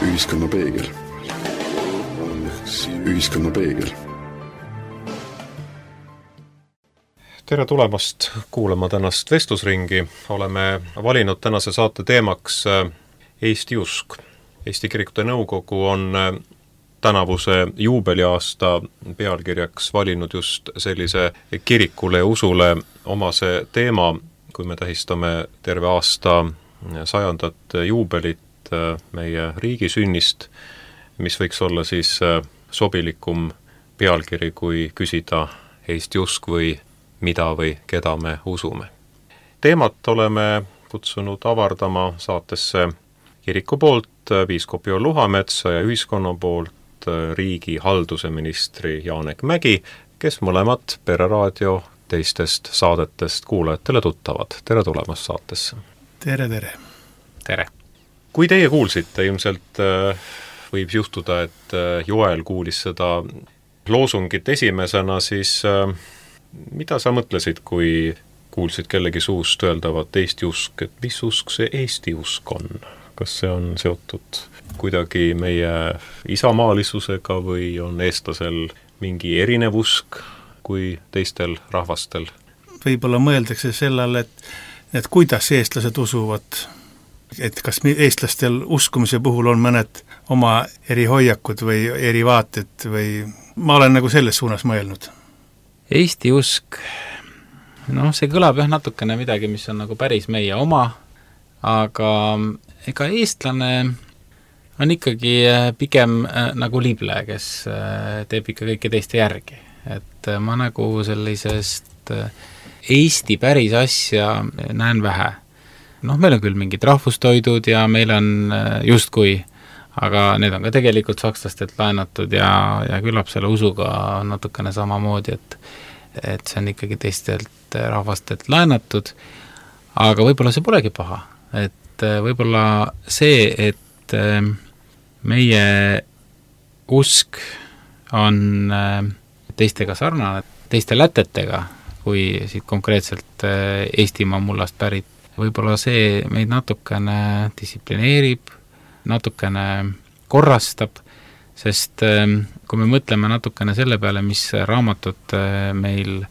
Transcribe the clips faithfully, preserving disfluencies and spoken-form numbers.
Ühiskonna peegel. Ühiskonna peegel. Tere tulemast kuulama tänast vestlusringi. Oleme valinud tänase saate teemaks Eesti usk. Eesti Kirikute Nõukogu on tänavuse juubeliaasta pealkirjaks valinud just sellise kirikule ja usule omase teema, kui me tähistame terve aasta sajandat juubelit meie riigi sünnist, mis võiks olla siis sobilikum pealkiri, kui küsida Eesti usk või mida või keda me usume. Teemat oleme kutsunud avardama saatesse kiriku poolt piiskop Joel Luhametsa ja ühiskonna poolt riigi halduse ministri Janek Mägi, kes mõlemad Pereraadio teistest saadetest kuulajatele tuttavad. Tere tulemast saatesse. Tere, tere. Tere. Kui teie kuulsite, ilmselt võib juhtuda, et Joel kuulis seda loosungit esimesena, siis mida sa mõtlesid, kui kuulsid kellegi suust öeldavat Eesti usk, et mis usk see Eesti usk on? Kas see on seotud kuidagi meie isamaalisusega või on eestlasel mingi erinev usk kui teistel rahvastel? Võib-olla mõeldakse sellele, et, et kuidas eestlased usuvad, et kas eestlastel uskumise puhul on mõned oma eri hoiakud või eri vaated või ma olen nagu selles suunas mõelnud. Eesti usk, noh, see kõlab jah natukene midagi, mis on nagu päris meie oma, aga ega eestlane on ikkagi pigem nagu lible, kes teeb ikka kõike teiste järgi. Et ma nagu sellisest Eesti päris asja näen vähe. Noh, meil on küll mingid rahvustoidud ja meil on justkui, aga need on ka tegelikult sakslastelt laenatud ja, ja küllap selle usuga natukene samamoodi, et, et see on ikkagi teistelt rahvastelt laenatud, aga võib-olla see polegi paha. Et võib-olla see, et meie usk on teistega sarnane, teiste lätetega, kui siit konkreetselt Eestimaa mullast pärit, võib-olla see meid natukene distsiplineerib, natukene korrastab, sest kui me mõtleme natukene selle peale, mis raamatud meil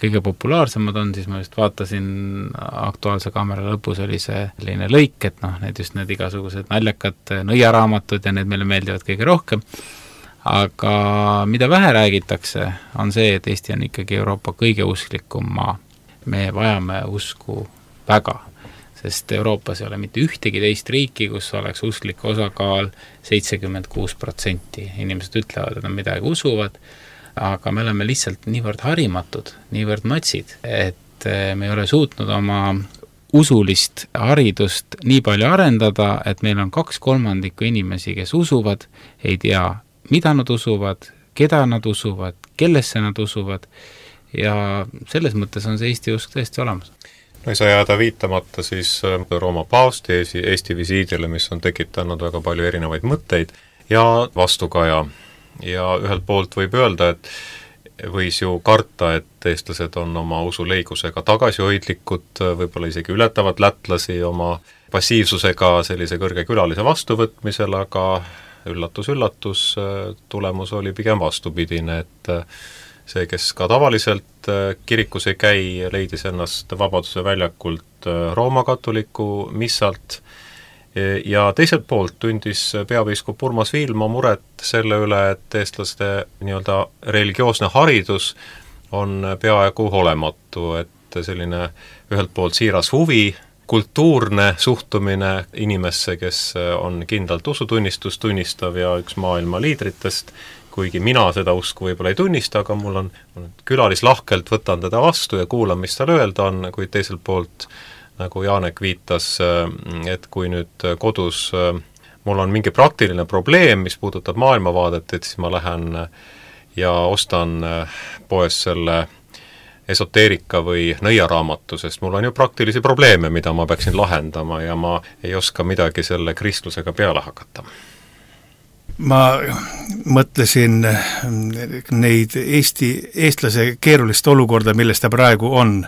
kõige populaarsemad on, siis ma just vaatasin Aktuaalse kaamera lõpus oli see selline lõik, et noh, need just need igasugused naljakad nõiaraamatud ja need meile meeldivad kõige rohkem, aga mida vähe räägitakse, on see, et Eesti on ikkagi Euroopa kõige usklikum maa. Me vajame usku väga, sest Euroopas ei ole mitte ühtegi teist riiki, kus oleks usklik osakaal seitsekümmend kuus protsenti. Inimesed ütlevad, et nad midagi usuvad, aga me oleme lihtsalt niivõrd harimatud, niivõrd matsid, et me ei ole suutnud oma usulist haridust nii palju arendada, et meil on kaks kolmandikku inimesi, kes usuvad, ei tea, mida nad usuvad, keda nad usuvad, kellesse nad usuvad ja selles mõttes on see Eesti usk tõesti olemas. No ei saa jääda viitamata siis Rooma paavsti Eesti visiidile, mis on tekitanud väga palju erinevaid mõtteid ja vastukaja. Ja ühelt poolt võib öelda, et võis ju karta, et eestlased on oma usuleigusega tagasihoidlikud, võib-olla isegi ületavad lätlasi oma passiivsusega sellise kõrge külalise vastuvõtmisel, aga üllatus-üllatus, tulemus oli pigem vastupidine, et see, kes ka tavaliselt kirikus ei käi, leidis ennast Vabaduse väljakult Rooma katoliku missalt ja teiselt poolt tundis peapiiskop Urmas Viilma muret selle üle, et eestlaste nii-öelda religioosne haridus on peaaegu olematu, et selline ühelt poolt siiras huvi, kultuurne suhtumine inimesse, kes on kindlalt usutunnistust tunnistav ja üks maailma liidritest, kuigi mina seda usku võib-olla ei tunnista, aga mul on külalis lahkelt võtan teda vastu ja kuulan, mis tal öelda on, kuid teiselt poolt nagu Janek viitas, et kui nüüd kodus mul on mingi praktiline probleem, mis puudutab maailmavaadet, et siis ma lähen ja ostan poes selle esoteerika või nõiaraamatu, sest mul on ju praktilisi probleeme, mida ma peaksin lahendama ja ma ei oska midagi selle kristlusega peale hakata. Ma mõtlesin neid Eesti, eestlase keerulist olukorda, milles ta praegu on,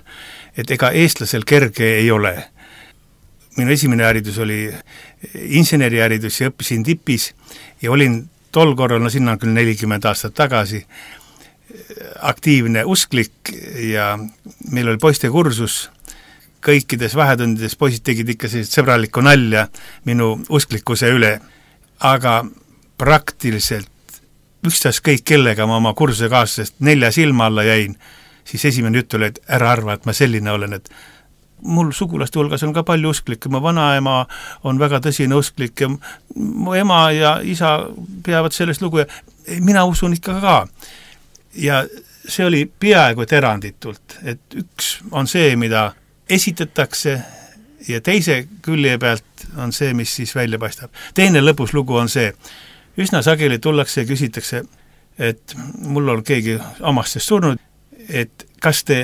et ega eestlasel kerge ei ole. minu esimene haridus oli inseneriharidus ja õppisin tipis ja olin tol korral, no sinna on küll nelikümmend aastat tagasi, aktiivne usklik ja meil oli poiste kursus, kõikides vahetundides poisid tegid ikka sellist sõbralikku nalja minu usklikkuse üle, aga praktiliselt ükstaskõik kellega ma oma kursuse kaaslasest nelja silma alla jäin, siis esimene jutt oli, et ära arva, et ma selline olen, et mul sugulaste hulgas on ka palju usklikke, mu vanaema on väga tõsine usklik ja mu ema ja isa peavad sellest lugu ja mina usun ikka ka. Ja see oli peaaegu et eranditult, et üks on see, mida esitatakse ja teise külje pealt on see, mis siis välja paistab. Teine lõpus lugu on see, üsna sageli tullakse ja küsitakse, et mul on keegi omastest surnud, et kas te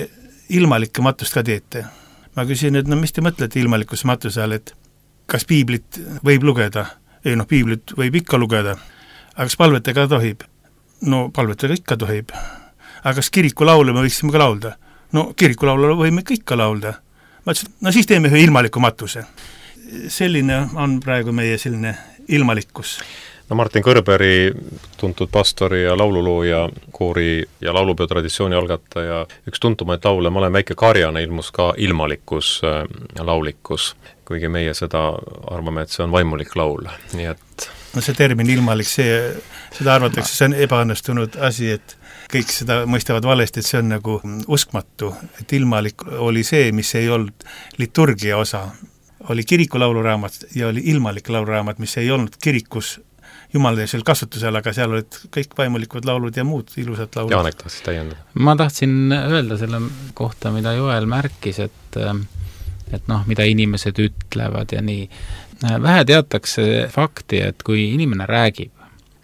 ilmalikke matust ka teete? Ma küsin, et no mis te mõtlete ilmalikus matuse all, et kas piiblit võib lugeda? Ei noh, piiblit võib ikka lugeda. Aga kas palvetega tohib? No palvetega ikka tohib. Aga kas kirikulaule me võiksime ka laulda? No kirikulaule võime ikka laulda. Ma ütlesin, no siis teeme ühe ilmaliku matuse. Selline on praegu meie selline ilmalikkus. No Martin Kõrberi, tuntud pastori ja laululooja, koori ja laulupeo traditsiooni algataja, üks tuntumaid laule, Ma olen väike karjane, ilmus ka ilmalikus laulikus, kuigi meie seda arvame, et see on vaimulik laul, nii et no see termin ilmalik, see, seda arvatakse, see on ebaõnnestunud asi, et kõik seda mõistavad valesti, et see on nagu uskmatu, et ilmalik oli see, mis ei olnud liturgia osa, oli kiriku lauluraamat ja oli ilmalik lauluraamat, mis ei olnud kirikus jumaldeisel kasutusel, aga seal olid kõik vaimulikud laulud ja muud ilusad laulud. Jaanek tahtsid täiendada. Ma tahtsin öelda selle kohta, mida Joel märkis, et, et noh, mida inimesed ütlevad ja nii. Vähe teatakse fakti, et kui inimene räägib,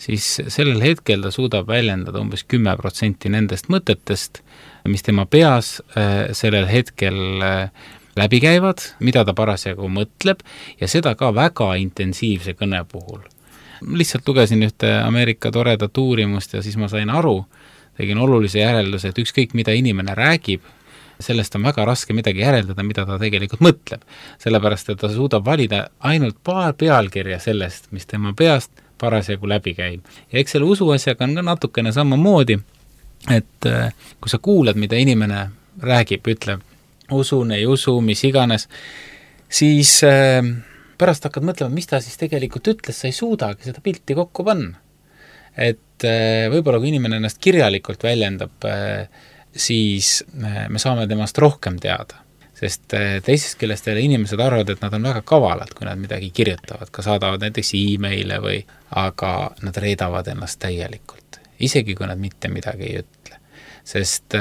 siis sellel hetkel ta suudab väljendada umbes kümme protsenti nendest mõtetest, mis tema peas sellel hetkel läbi käivad, mida ta parasjagu mõtleb ja seda ka väga intensiivse kõne puhul. Lihtsalt lugesin ühte Ameerika toredat uurimust ja siis ma sain aru, tegin olulise järelduse, et ükskõik mida inimene räägib, sellest on väga raske midagi järeldada, mida ta tegelikult mõtleb. Sellepärast, et ta suudab valida ainult paar pealkirja sellest, mis tema peast parasjagu läbi käib. Ja eks selle usuasjaga on ka natukene samamoodi, et kui sa kuulad, mida inimene räägib, ütleb, usun, ei usu, mis iganes, siis pärast hakkad mõtlema, mis ta siis tegelikult ütles, sa ei suudagi seda pilti kokku panna. Et võib-olla kui inimene ennast kirjalikult väljendab, siis me saame temast rohkem teada. Sest teisest küljest jälle inimesed arvavad, et nad on väga kavalad, kui nad midagi kirjutavad, ka saadavad näiteks e-maile või, aga nad reedavad ennast täielikult, isegi kui nad mitte midagi ei ütle. Sest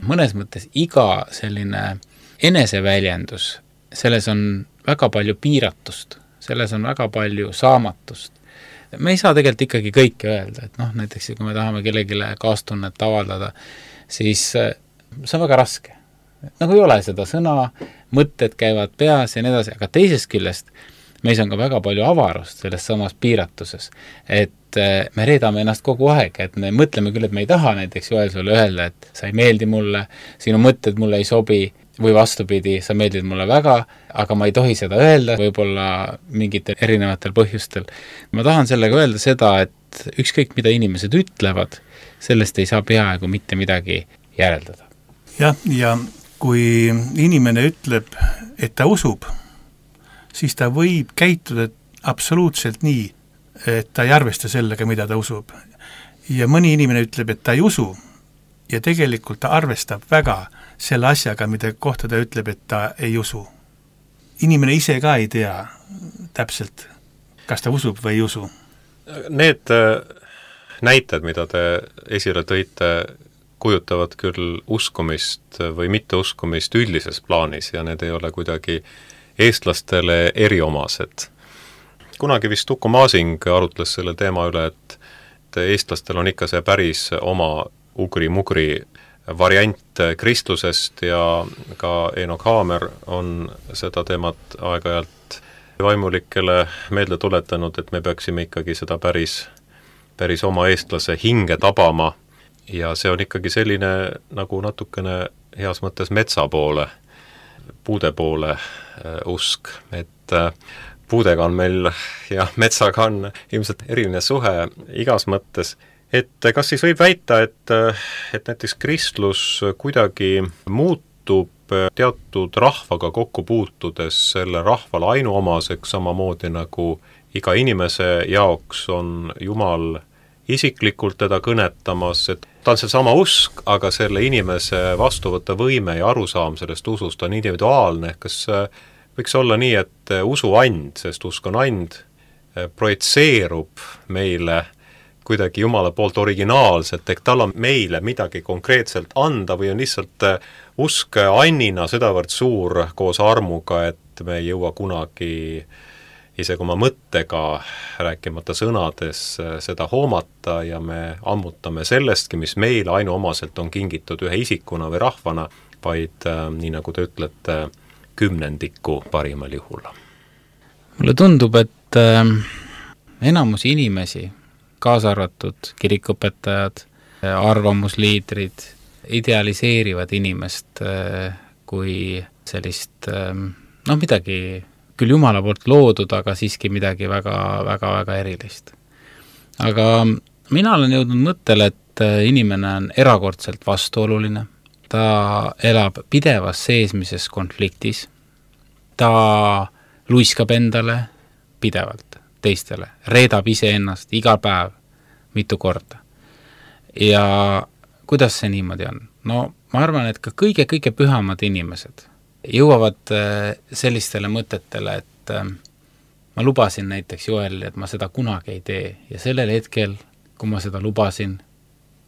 mõnes mõttes iga selline eneseväljendus, selles on väga palju piiratust, selles on väga palju saamatust. Me ei saa tegelikult ikkagi kõike öelda, et noh, näiteks kui me tahame kellegile kaastunnet avaldada, siis see on väga raske. Nagu ei ole seda sõna, mõtted käivad peas ja nii edasi, aga teisest küljest meis on ka väga palju avarust selles samas piiratuses, et me reedame ennast kogu aeg, et me mõtleme küll, et me ei taha näiteks Joel sulle öelda, et sa ei meeldi mulle, sinu mõtted mulle ei sobi, või vastupidi, sa meeldid mulle väga, aga ma ei tohi seda öelda, võib-olla mingitel erinevatel põhjustel. Ma tahan sellega öelda seda, et ükskõik mida inimesed ütlevad, sellest ei saa peaaegu mitte midagi järeldada. Jah, ja kui inimene ütleb, et ta usub, siis ta võib käituda absoluutselt nii, et ta ei arvesta sellega, mida ta usub. Ja mõni inimene ütleb, et ta ei usu, ja tegelikult ta arvestab väga selle asjaga, mida kohta ta ütleb, et ta ei usu. Inimene ise ka ei tea täpselt, kas ta usub või ei usu. Need näited, mida te esile tõite, kujutavad küll uskumist või mitteuskumist üldises plaanis ja need ei ole kuidagi eestlastele eriomased. Kunagi vist Uku Masing arutles selle teema üle, et eestlastel on ikka see päris oma ugri-mugri variant kristlusest ja ka Eenok Haamer on seda teemat aeg-ajalt vaimulikele meelde tuletanud, et me peaksime ikkagi seda päris, päris oma eestlase hinge tabama ja see on ikkagi selline nagu natukene heas mõttes metsa poole, puude poole usk, et et puudega on meil ja metsaga on ilmselt eriline suhe igas mõttes, et kas siis võib väita, et, et näiteks kristlus kuidagi muutub teatud rahvaga kokku puutudes selle rahvale ainuomaseks, samamoodi nagu iga inimese jaoks on Jumal isiklikult teda kõnetamas, et ta on seesama usk, aga selle inimese vastuvõtta võime ja arusaam sellest usust on individuaalne, kas võiks olla nii, et usuand, sest usk on and, projitseerub meile kuidagi Jumala poolt originaalselt, ehk tal on meile midagi konkreetselt anda või on lihtsalt usk annina sedavõrd suur koos armuga, et me ei jõua kunagi isegi oma mõttega, rääkimata sõnades, seda hoomata ja me ammutame sellestki, mis meile ainuomaselt on kingitud ühe isikuna või rahvana, vaid nii nagu te ütlete, kümnendiku parimal juhul. Mulle tundub, et äh, enamus inimesi, kaasa arvatud kirikuõpetajad, arvamusliidrid, idealiseerivad inimest äh, kui sellist äh, noh, midagi küll Jumala poolt loodud, aga siiski midagi väga, väga, väga erilist. Aga mina olen jõudnud mõttele, et inimene on erakordselt vastuoluline. Ta elab pidevas seesmises konfliktis, ta luiskab endale pidevalt teistele, reedab iseennast iga päev mitu korda. Ja kuidas see niimoodi on? No ma arvan, et ka kõige-kõige pühamad inimesed jõuavad sellistele mõtetele, et ma lubasin näiteks Joelile, et ma seda kunagi ei tee ja sellel hetkel, kui ma seda lubasin,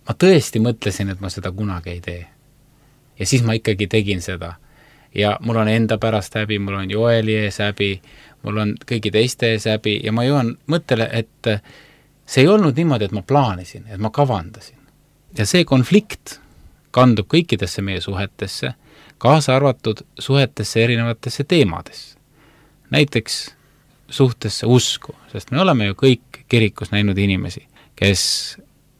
ma tõesti mõtlesin, et ma seda kunagi ei tee. Ja siis ma ikkagi tegin seda. Ja mul on enda pärast häbi, mul on Joeli ees häbi, mul on kõigi teiste ees häbi ja ma jõuan mõttele, et see ei olnud niimoodi, et ma plaanisin, et ma kavandasin. Ja see konflikt kandub kõikidesse meie suhetesse, kaasa arvatud suhetesse erinevatesse teemadesse. Näiteks suhtesse usku, sest me oleme ju kõik kirikus näinud inimesi, kes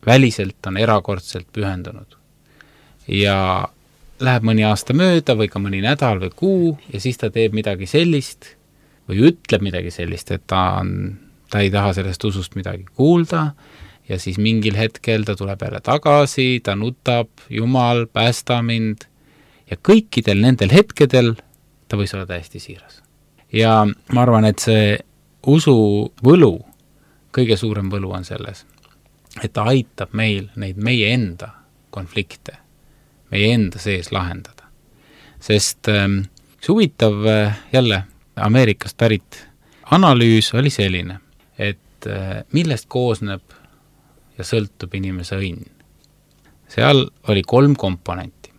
väliselt on erakordselt pühendunud. Ja läheb mõni aasta mööda või ka mõni nädal või kuu ja siis ta teeb midagi sellist või ütleb midagi sellist, et ta, on, ta ei taha sellest usust midagi kuulda ja siis mingil hetkel ta tuleb jälle tagasi, ta nutab, Jumal, päästa mind ja kõikidel nendel hetkedel ta võis olla täiesti siiras. Ja ma arvan, et see usu võlu, kõige suurem võlu on selles, et ta aitab meil neid meie enda konflikte meie enda sees lahendada. Sest ähm, see huvitav äh, jälle Ameerikast pärit analüüs oli selline, et äh, millest koosneb ja sõltub inimese õnn. Seal oli kolm komponenti.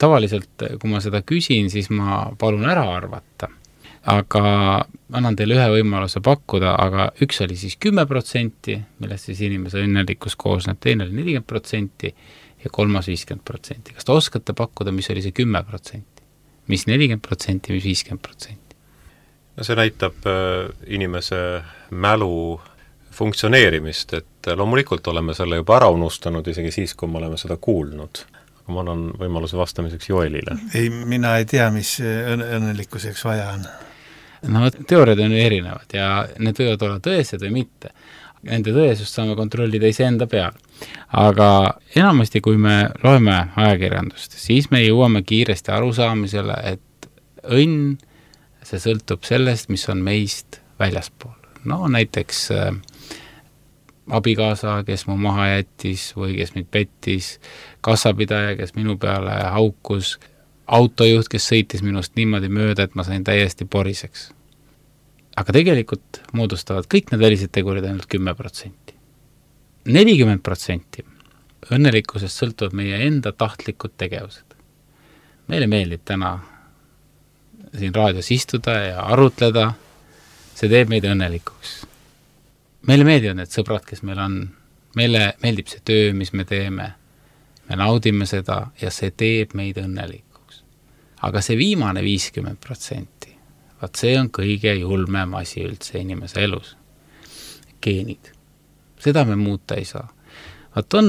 Tavaliselt, kui ma seda küsin, siis ma palun ära arvata, aga annan teile ühe võimaluse pakkuda, aga üks oli siis kümme protsenti, millest siis inimese õnnelikkus koosneb, teine oli nelikümmend protsenti ja kolmas viiskümmend protsenti. Kas te oskate pakkuda, mis oli see kümme protsenti? Mis nelikümmend protsenti, mis viiskümmend protsenti? No see näitab äh, inimese mälu funktsioneerimist, et loomulikult oleme selle juba ära unustanud, isegi siis, kui me oleme seda kuulnud. Aga ma annan võimaluse vastamiseks Joelile. Ei, mina ei tea, mis õn- õnnelikkuseks vaja on. No teooriad on erinevad ja need võivad olla tõesed või mitte. Nende tõesust saame kontrollida iseenda peal. Aga enamasti, kui me loeme ajakirjandust, siis me jõuame kiiresti arusaamisele, et õnn, see sõltub sellest, mis on meist väljaspool. No näiteks äh, abikaasa, kes mu maha jättis või kes mind pettis, kassapidaja, kes minu peale haukus, autojuht, kes sõitis minust niimoodi mööda, et ma sain täiesti poriseks. Aga tegelikult moodustavad kõik need välised tegurid ainult kümme protsenti. nelikümmend protsenti õnnelikkusest sõltuvad meie enda tahtlikud tegevused. Meile meeldib täna siin raadios istuda ja arutleda, see teeb meid õnnelikuks. Meile meeldivad need sõbrad, kes meil on, meile meeldib see töö, mis me teeme, me naudime seda ja see teeb meid õnnelikuks. Aga see viimane viiskümmend protsenti, vaat see on kõige julmem asi üldse inimese elus. Geenid. Seda me muuta ei saa. Vaat on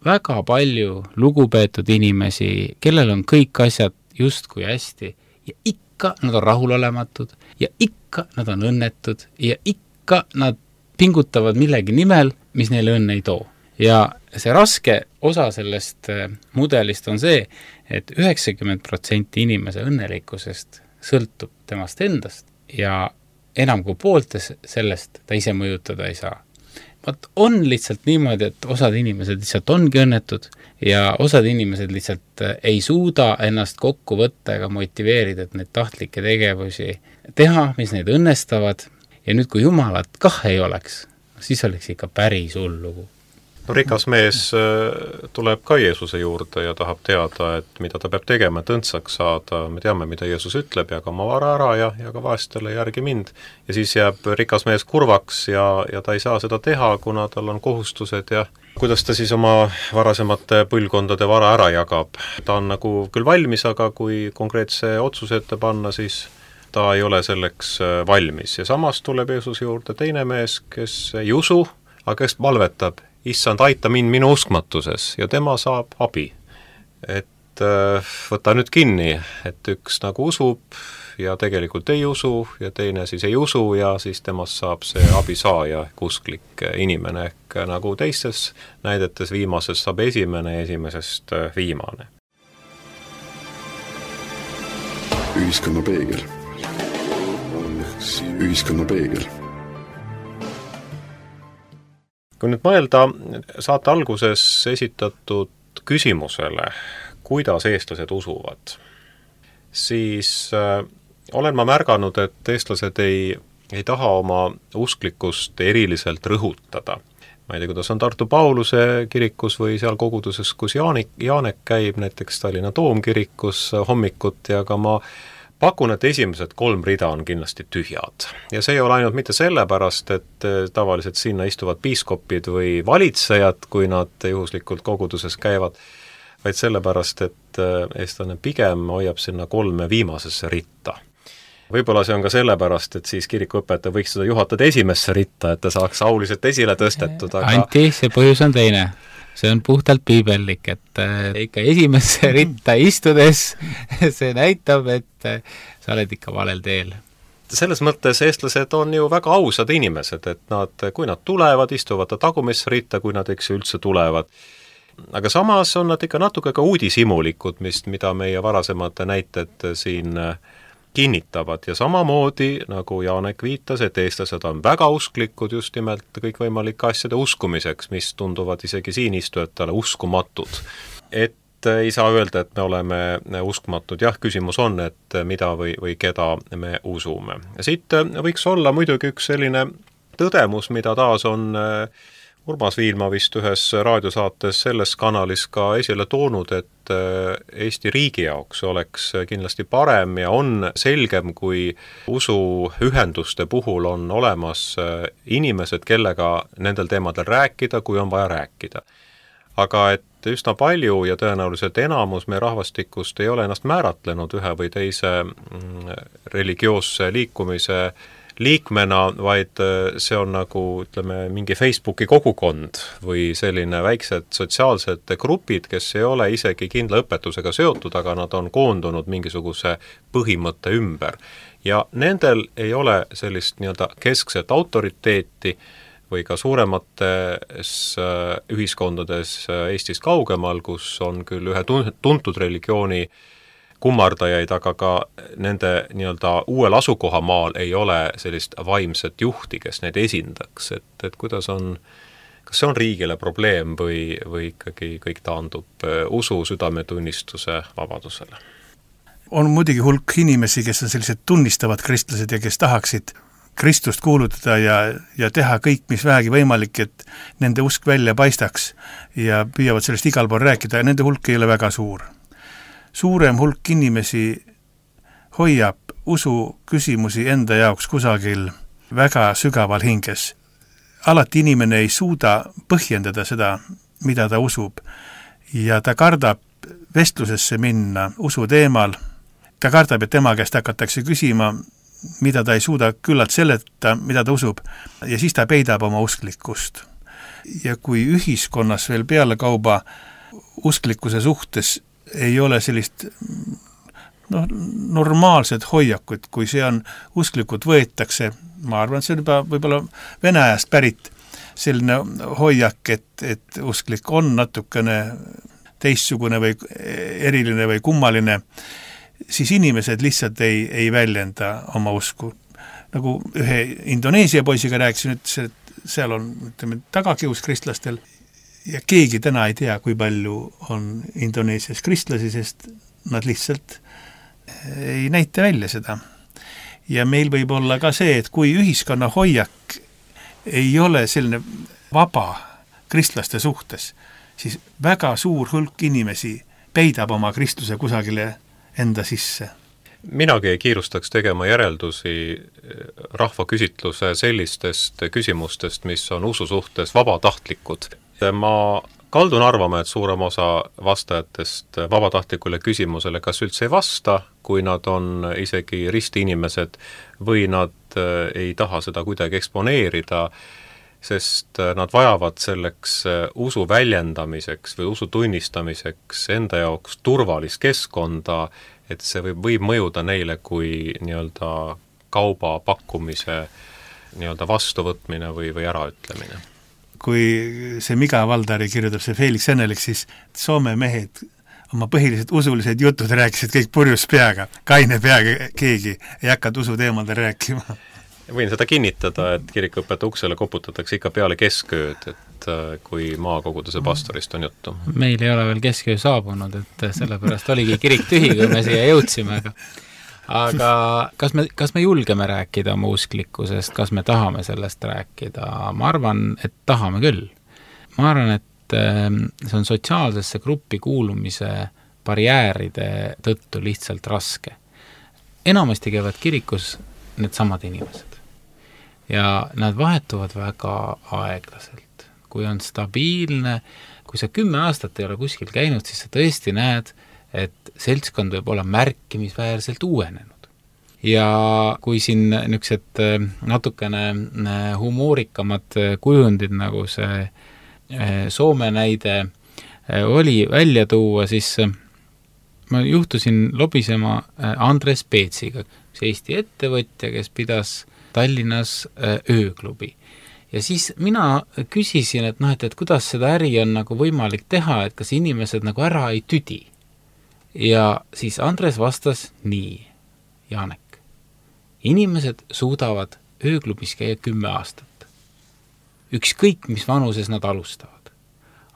väga palju lugupeetud inimesi, kellel on kõik asjad justkui hästi ja ikka ikka nad on rahulolematud ja ikka nad on õnnetud ja ikka nad pingutavad millegi nimel, mis neile õnne ei too. Ja see raske osa sellest mudelist on see, et üheksakümmend protsenti inimese õnnelikkusest sõltub temast endast ja enam kui pooltes sellest ta ise mõjutada ei saa. Vaat on lihtsalt niimoodi, et osad inimesed lihtsalt ongi õnnetud ja osad inimesed lihtsalt ei suuda ennast kokku võtta ega motiveerida, et neid tahtlikke tegevusi teha, mis neid õnnestavad. Ja nüüd, kui Jumalat kah ei oleks, siis oleks ikka päris hull lugu. No rikas mees tuleb ka Jeesuse juurde ja tahab teada, et mida ta peab tegema, et õndsaks saada. Me teame, mida Jeesus ütleb, jaga oma vara ära ja, ja ka vaestele järgi mind. Ja siis jääb rikas mees kurvaks ja, ja ta ei saa seda teha, kuna tal on kohustused ja kuidas ta siis oma varasemate põlvkondade vara ära jagab. Ta on nagu küll valmis, aga kui konkreetse otsuse ette panna, siis ta ei ole selleks valmis. Ja samas tuleb Jeesuse juurde teine mees, kes ei usu, aga kes palvetab, issand, aita mind minu uskmatuses ja tema saab abi. Et võta nüüd kinni, et üks nagu usub ja tegelikult ei usu ja teine siis ei usu ja siis temast saab see abisaaja ehk usklik inimene ehk nagu teistes näidetes viimasest saab esimene ja esimesest viimane. Ühiskonna peegel. Ühiskonna peegel. Kui nüüd mõelda saate alguses esitatud küsimusele, kuidas eestlased usuvad, siis äh, olen ma märganud, et eestlased ei, ei taha oma usklikkust eriliselt rõhutada. Ma ei tea, kuidas on Tartu Pauluse kirikus või seal koguduses, kus Jaanik, Jaanek käib, näiteks Tallinna Toomkirikus hommikut ja ka ma pakun, et esimesed kolm rida on kindlasti tühjad. Ja see ei ole ainult mitte sellepärast, et tavaliselt sinna istuvad piiskopid või valitsejad, kui nad juhuslikult koguduses käivad, vaid sellepärast, et eestlane pigem hoiab sinna kolme viimasesse ritta. Võib-olla see on ka sellepärast, et siis kirikuõpetaja võiks seda juhatada esimesse ritta, et ta saaks auliselt esile tõstetud. Aga... Anti, see põhjus on teine. See on puhtalt piibellik, et ikka esimesse ritta istudes see näitab, et sa oled ikka valel teel. Selles mõttes eestlased on ju väga ausad inimesed, et nad, kui nad tulevad, istuvad ta tagumisse ritta, kui nad eks üldse tulevad. Aga samas on nad ikka natuke ka uudishimulikud, mis, mida meie varasemad näited siin kinnitavad ja samamoodi, nagu Jaanek viitas, et eestlased on väga usklikud just nimelt kõikvõimalike asjade uskumiseks, mis tunduvad isegi siin istujatele uskumatud. Et ei saa öelda, et me oleme uskmatud. Jah, küsimus on, et mida või, või keda me usume. Ja siit võiks olla muidugi üks selline tõdemus, mida taas on Urmas Viilma vist ühes raadiosaates selles kanalis ka esile toonud, et Eesti riigi jaoks oleks kindlasti parem ja on selgem, kui usuühenduste puhul on olemas inimesed, kellega nendel teemadel rääkida, kui on vaja rääkida. Aga et üsna palju ja tõenäoliselt enamus meie rahvastikust ei ole ennast määratlenud ühe või teise religioosse liikumise liikmena, vaid see on nagu, ütleme, mingi Facebooki kogukond või selline väiksed sotsiaalsed grupid, kes ei ole isegi kindla õpetusega seotud, aga nad on koondunud mingisuguse põhimõtte ümber. Ja nendel ei ole sellist nii-öelda keskset autoriteeti või ka suuremates ühiskondades Eestis kaugemal, kus on küll ühe tuntud religiooni kummardajaid, aga ka nende nii-öelda uuel asukohamaal ei ole sellist vaimset juhti, kes neid esindaks, et, et kuidas on, kas see on riigile probleem või, või ikkagi kõik taandub usu, südametunnistuse vabadusele? On muidugi hulk inimesi, kes on sellised tunnistavad kristlased ja kes tahaksid Kristust kuulutada ja, ja teha kõik, mis vähegi võimalik, et nende usk välja paistaks ja püüavad sellest igal pool rääkida ja nende hulk ei ole väga suur. Suurem hulk inimesi hoiab usu küsimusi enda jaoks kusagil väga sügaval hinges. Alati inimene ei suuda põhjendada seda, mida ta usub ja ta kardab vestlusesse minna usu teemal. Ta kardab, et tema käest hakatakse küsima, mida ta ei suuda küllalt seleta, mida ta usub ja siis ta peidab oma usklikkust. Ja kui ühiskonnas veel peale kauba usklikkuse suhtes ei ole sellist noh, normaalsed hoiakud, kui see on usklikult võetakse, ma arvan, see on juba võib-olla Vene ajast pärit selline hoiak, et, et usklik on natukene teistsugune või eriline või kummaline, siis inimesed lihtsalt ei, ei väljenda oma usku. Nagu ühe Indoneesia poisiga rääkisin, ütles, et seal on, ütleme, tagakius kristlastel ja keegi täna ei tea, kui palju on Indoneesias kristlasi, sest nad lihtsalt ei näita välja seda. Ja meil võib olla ka see, et kui ühiskonna hoiak ei ole selline vaba kristlaste suhtes, siis väga suur hulk inimesi peidab oma kristluse kusagile enda sisse. Minagi ei kiirustaks tegema järeldusi rahvaküsitluse sellistest küsimustest, mis on usu suhtes vabatahtlikud. Ma kaldun arvama, et suurem osa vastajatest vabatahtlikule küsimusele kas üldse ei vasta, kui nad on isegi ristiinimesed või nad ei taha seda kuidagi eksponeerida, sest nad vajavad selleks usu väljendamiseks või usu tunnistamiseks enda jaoks turvalist keskkonda, et see võib, võib mõjuda neile kui nii-öelda kauba pakkumise nii-öelda vastuvõtmine või, või äraütlemine. Kui see Miga Valdari kirjutab see Felix Ennelik, siis Soome mehed oma põhilised usulised jutud rääkisid kõik purjus peaga, kaine peaga keegi ei hakanud usu teemalda rääkima. Võin seda kinnitada, et kirikuõpetaja uksele koputatakse ikka peale keskööd, et kui maakoguduse pastorist on juttu. Meil ei ole veel kesköö saabunud, et sellepärast oligi kirik tühi, kui me siia jõudsime, aga aga kas me, kas me julgeme rääkida oma usklikkusest, kas me tahame sellest rääkida? Ma arvan, et tahame küll. Ma arvan, et see on sotsiaalsesse gruppi kuulumise barjääride tõttu lihtsalt raske. Enamasti käivad kirikus need samad inimesed. Ja nad vahetuvad väga aeglaselt. Kui on stabiilne, kui sa kümme aastat ei ole kuskil käinud, siis sa tõesti näed, et seltskond võib olla märkimisväärselt uuenenud. Ja kui siin niisugused natukene humoorikamad kujundid, nagu see Soome näide oli välja tuua, siis ma juhtusin lobisema Andres Peetsiga, see Eesti ettevõtja, kes pidas Tallinnas ööklubi. Ja siis mina küsisin, et, noh, et, et kuidas seda äri on nagu võimalik teha, et kas inimesed nagu ära ei tüdi. Ja siis Andres vastas nii, Jaanek, inimesed suudavad ööklubis käia kümme aastat. Ükskõik, mis vanuses nad alustavad.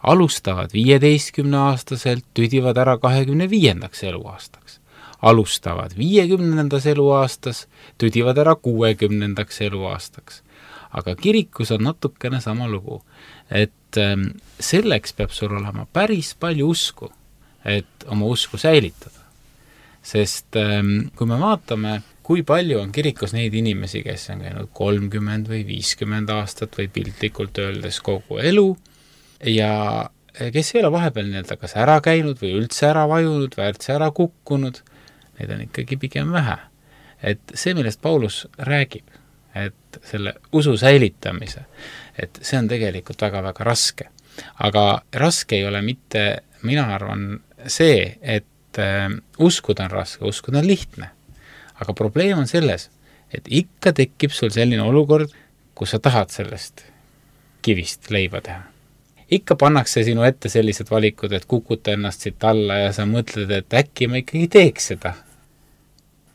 Alustavad viieteistkümne aastaselt, tüdivad ära kahekümne viiendaks eluaastaks. Alustavad viiekümnendas eluaastas, tüdivad ära kuuekümnendaks eluaastaks. Aga kirikus on natukene sama lugu, et selleks peab sul olema päris palju usku, et oma usku säilitada. Sest kui me vaatame, kui palju on kirikus neid inimesi, kes on käinud kolmkümmend või viiskümmend aastat või piltlikult öeldes kogu elu, ja kes ei ole vahepeal nii-öelda kas ära käinud või üldse ära vajunud või üldse ära kukkunud, neid on ikkagi pigem vähe. Et see, millest Paulus räägib, et selle usu säilitamise, et see on tegelikult väga-väga raske. Aga raske ei ole mitte, mina arvan, see, et äh, uskuda on raske, uskuda on lihtne. Aga probleem on selles, et ikka tekib sul selline olukord, kus sa tahad sellest kivist leiba teha. Ikka pannakse sinu ette sellised valikud, et kukuta ennast siit alla ja sa mõtled, et äkki ma ikkagi teeks seda.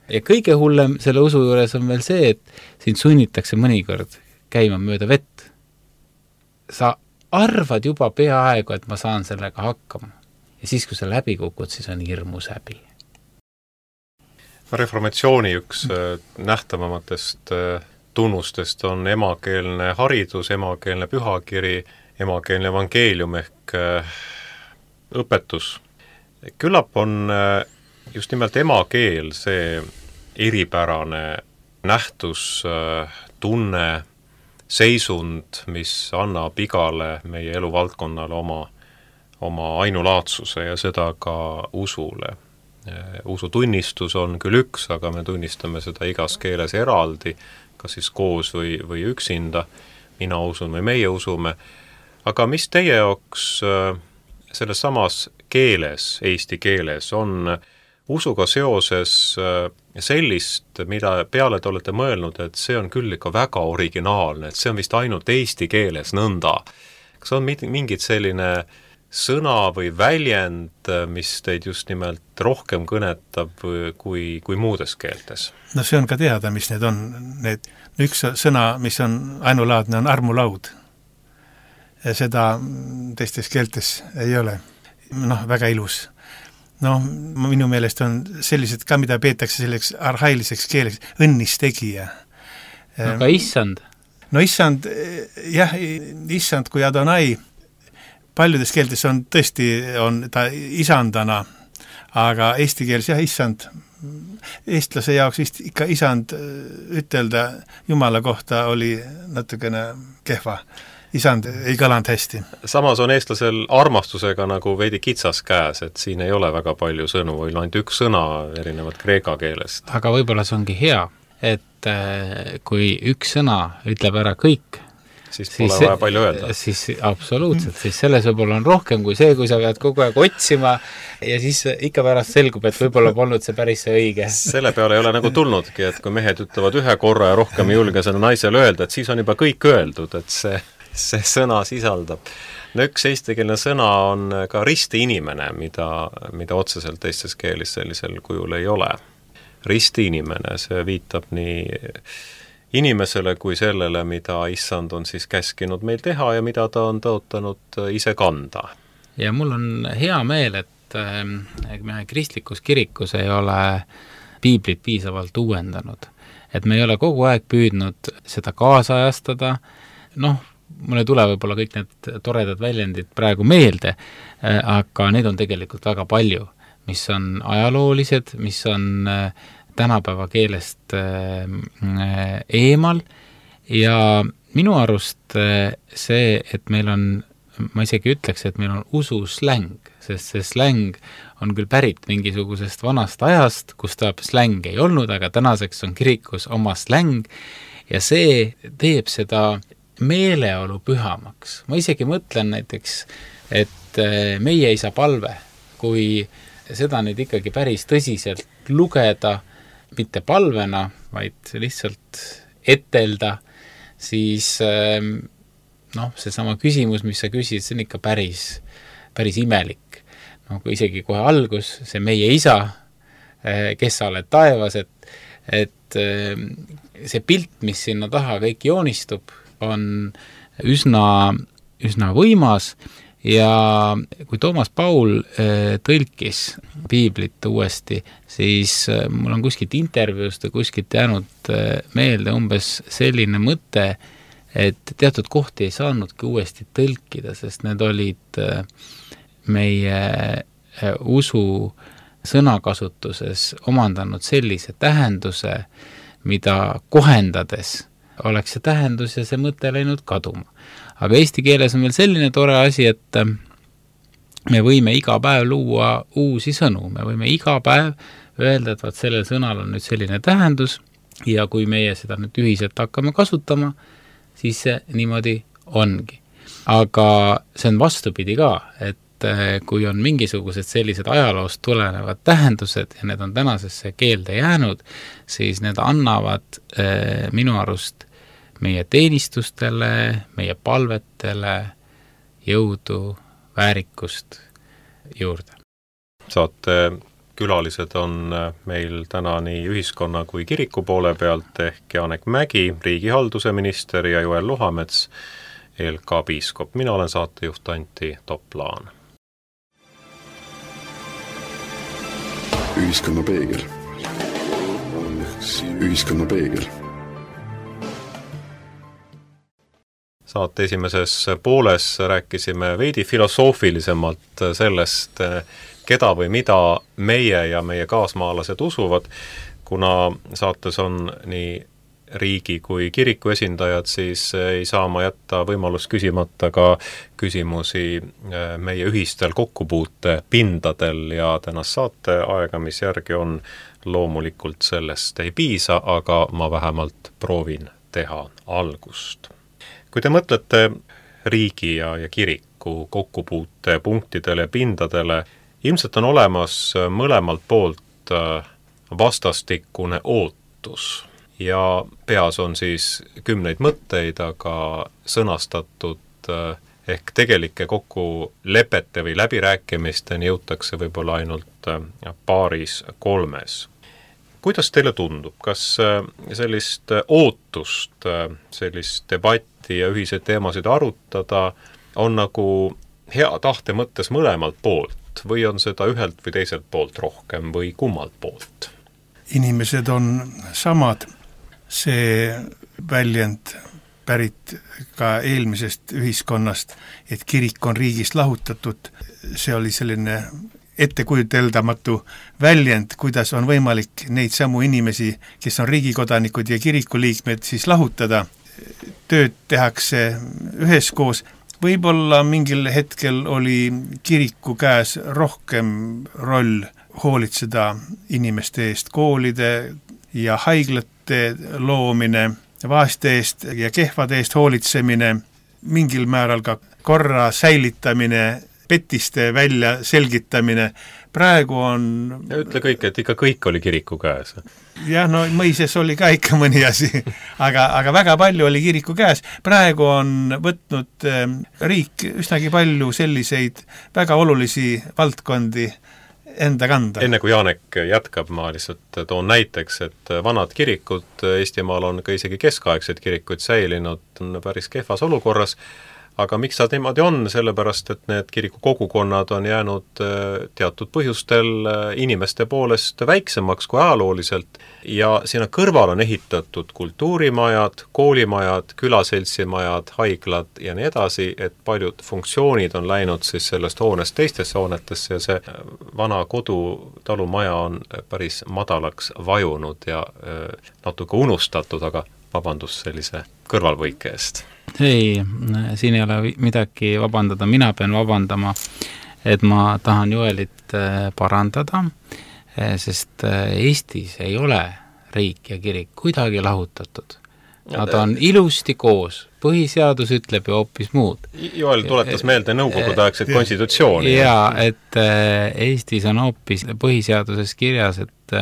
Ja kõige hullem selle usu juures on veel see, et sind sunnitakse mõnikord käima mööda vett. Sa arvad juba peaaegu, et ma saan sellega hakkama. Ja siis, kui sa läbi kukud, siis on hirmus häbi. Reformatsiooni üks nähtavamatest tunnustest on emakeelne haridus, emakeelne pühakiri, emakeelne evangeelium ehk õpetus. Küllap on just nimelt emakeel see eripärane nähtus, tunne, seisund, mis annab igale meie eluvaldkonnale oma, oma ainulaatsuse ja seda ka usule. Usutunnistus on küll üks, aga me tunnistame seda igas keeles eraldi, kas siis koos või, või üksinda, mina usun või meie usume. Aga mis teie jaoks selles samas keeles, eesti keeles, on usuga seoses sellist, mida peale te olete mõelnud, et see on küll ikka väga originaalne, et see on vist ainult eesti keeles nõnda. Kas on mingid selline sõna või väljend, mis teid just nimelt rohkem kõnetab kui, kui muudes keeltes? No see on ka teada, mis need on. Need, üks sõna, mis on ainulaadne, on armulaud. Ja seda teistes keeltes ei ole. Noh, väga ilus. No minu meelest on sellised ka, mida peetakse selleks arhailiseks keeleks, õnnistegija. Aga issand? No issand, jah, issand kui Adonai, paljudes keeltes on tõesti, on ta isandana, aga eesti keeles jah, issand, eestlase jaoks vist ikka isand ütelda Jumala kohta oli natukene kehva. Isand ei kõlanud hästi. Samas on eestlasel armastusega nagu veidi kitsas käes, et siin ei ole väga palju sõnu, või ainult üks sõna erinevat kreeka keelest. Aga võib-olla see ongi hea, et kui üks sõna ütleb ära kõik, siis pole siis, vaja palju öelda. Siis absoluutselt, siis selles võib-olla on rohkem kui see, kui sa pead kogu aeg otsima ja siis ikka pärast selgub, et võib-olla polnud see päris see õige. Selle peale ei ole nagu tulnudki, et kui mehed ütlevad ühe korra ja rohkem ei julge seda naisele öelda, et siis on juba kõik öeldud, et see see sõna sisaldab. No üks eestikeelne sõna on ka risti inimene, mida, mida otseselt teistes keelis sellisel kujul ei ole. Risti inimene, see viitab nii inimesele kui sellele, mida issand on siis käskinud meil teha ja mida ta on tõotanud ise kanda. Ja mul on hea meel, et me kristlikus kirikus ei ole piiblit piisavalt uuendanud. Et me ei ole kogu aeg püüdnud seda kaasajastada, noh, mul ei tule võib-olla kõik need toredad väljendid praegu meelde, aga neid on tegelikult väga palju, mis on ajaloolised, mis on tänapäeva keelest eemal ja minu arust see, et meil on, ma isegi ütleks, et meil on ususläng, sest see släng on küll pärit mingisugusest vanast ajast, kus ta släng ei olnud, aga tänaseks on kirikus oma släng ja see teeb seda meeleolu pühamaks. Ma isegi mõtlen näiteks, et meie isa palve, kui seda nüüd ikkagi päris tõsiselt lugeda, mitte palvena, vaid lihtsalt etelda, siis noh, seesama küsimus, mis sa küsid, see on ikka päris, päris imelik. No, kui isegi kohe algus, see meie isa, kes sa oled taevas, et, et see pilt, mis sinna taha kõik joonistub, on üsna, üsna võimas ja kui Toomas Paul tõlkis piiblit uuesti, siis mul on kuskilt intervjuust ja kuskilt jäänud meelde umbes selline mõte, et teatud kohti ei saanudki uuesti tõlkida, sest need olid meie usu sõnakasutuses omandanud sellise tähenduse, mida kohendades oleks see tähendus ja see mõte läinud kaduma. Aga eesti keeles on veel selline tore asi, et me võime iga päev luua uusi sõnu, me võime iga päev öelda, et vaat sellel sõnal on nüüd selline tähendus ja kui meie seda nüüd ühiselt hakkame kasutama, siis see niimoodi ongi. Aga see on vastupidi ka, et kui on mingisugused sellised ajaloost tulenevad tähendused ja need on tänasesse keelde jäänud, siis need annavad eh, minu arust meie teenistustele, meie palvetele jõudu, väärikust juurde. Saate külalised on meil täna nii ühiskonna kui kiriku poole pealt ehk Janek Mägi, riigihalduse minister ja Joel Luhamets, L K piiskop. Mina olen saatejuht Antti Toplaan. Ühiskonna peegel. Ühiskonna peegel. Saate esimeses pooles rääkisime veidi filosoofilisemalt sellest, keda või mida meie ja meie kaasmaalased usuvad, kuna saates on nii riigi kui kiriku esindajad, siis ei saa ma jätta võimalust küsimata ka küsimusi meie ühistel kokkupuute pindadel ja tänast saate aega, mis järgi on, loomulikult sellest ei piisa, aga ma vähemalt proovin teha algust. Kui te mõtlete riigi ja, ja kiriku kokkupuute punktidele ja pindadele, ilmselt on olemas mõlemalt poolt vastastikune ootus ja peas on siis kümneid mõtteid, aga sõnastatud ehk tegelike kokkulepete või läbirääkimisteni jõutakse võib-olla ainult paaris kolmes. Kuidas teile tundub, kas sellist ootust, sellist debatti ja ühiseid teemasid arutada on nagu hea tahte mõttes mõlemalt poolt või on seda ühelt või teiselt poolt rohkem või kummalt poolt? Inimesed on samad. See väljend pärit ka eelmisest ühiskonnast, et kirik on riigist lahutatud. See oli selline ettekujuteldamatu väljend, kuidas on võimalik neid samu inimesi, kes on riigikodanikud ja kirikuliikmed, siis lahutada. Tööd tehakse üheskoos. Võib-olla mingil hetkel oli kiriku käes rohkem roll hoolitseda inimeste eest, koolide ja haiglate loomine, vaeste eest ja kehvade eest hoolitsemine, mingil määral ka korra säilitamine, petiste välja selgitamine. Praegu on... Ja ütle kõik, et ikka kõik oli kiriku käes. Jah, no mõises oli ka ikka mõni asi, aga, aga väga palju oli kiriku käes. Praegu on võtnud riik üsnagi palju selliseid väga olulisi valdkondi enda kanda. Enne kui Janek jätkab, ma lihtsalt toon näiteks, et vanad kirikud Eestimaal on ka isegi keskaegsed kirikud säilinud päris kehvas olukorras, aga miks see niimoodi on? Sellepärast, et need kiriku kogukonnad on jäänud teatud põhjustel inimeste poolest väiksemaks kui ajalooliselt ja sinna kõrval on ehitatud kultuurimajad, koolimajad, külaseltsimajad, haiglad ja nii edasi, et paljud funktsioonid on läinud siis sellest hoonest teistesse hoonetesse ja see vana kodutalumaja on päris madalaks vajunud ja natuke unustatud, aga vabandus sellise kõrvalvõike eest. Ei, siin ei ole midagi vabandada, mina pean vabandama, et ma tahan Joelit parandada, sest Eestis ei ole riik ja kirik kuidagi lahutatud. Nad on ilusti koos, põhiseadus ütleb ju hoopis muud. Joel tuletas meelde nõukogudeaegset konstitutsiooni. Jaa, et Eestis on hoopis põhiseaduses kirjas, et,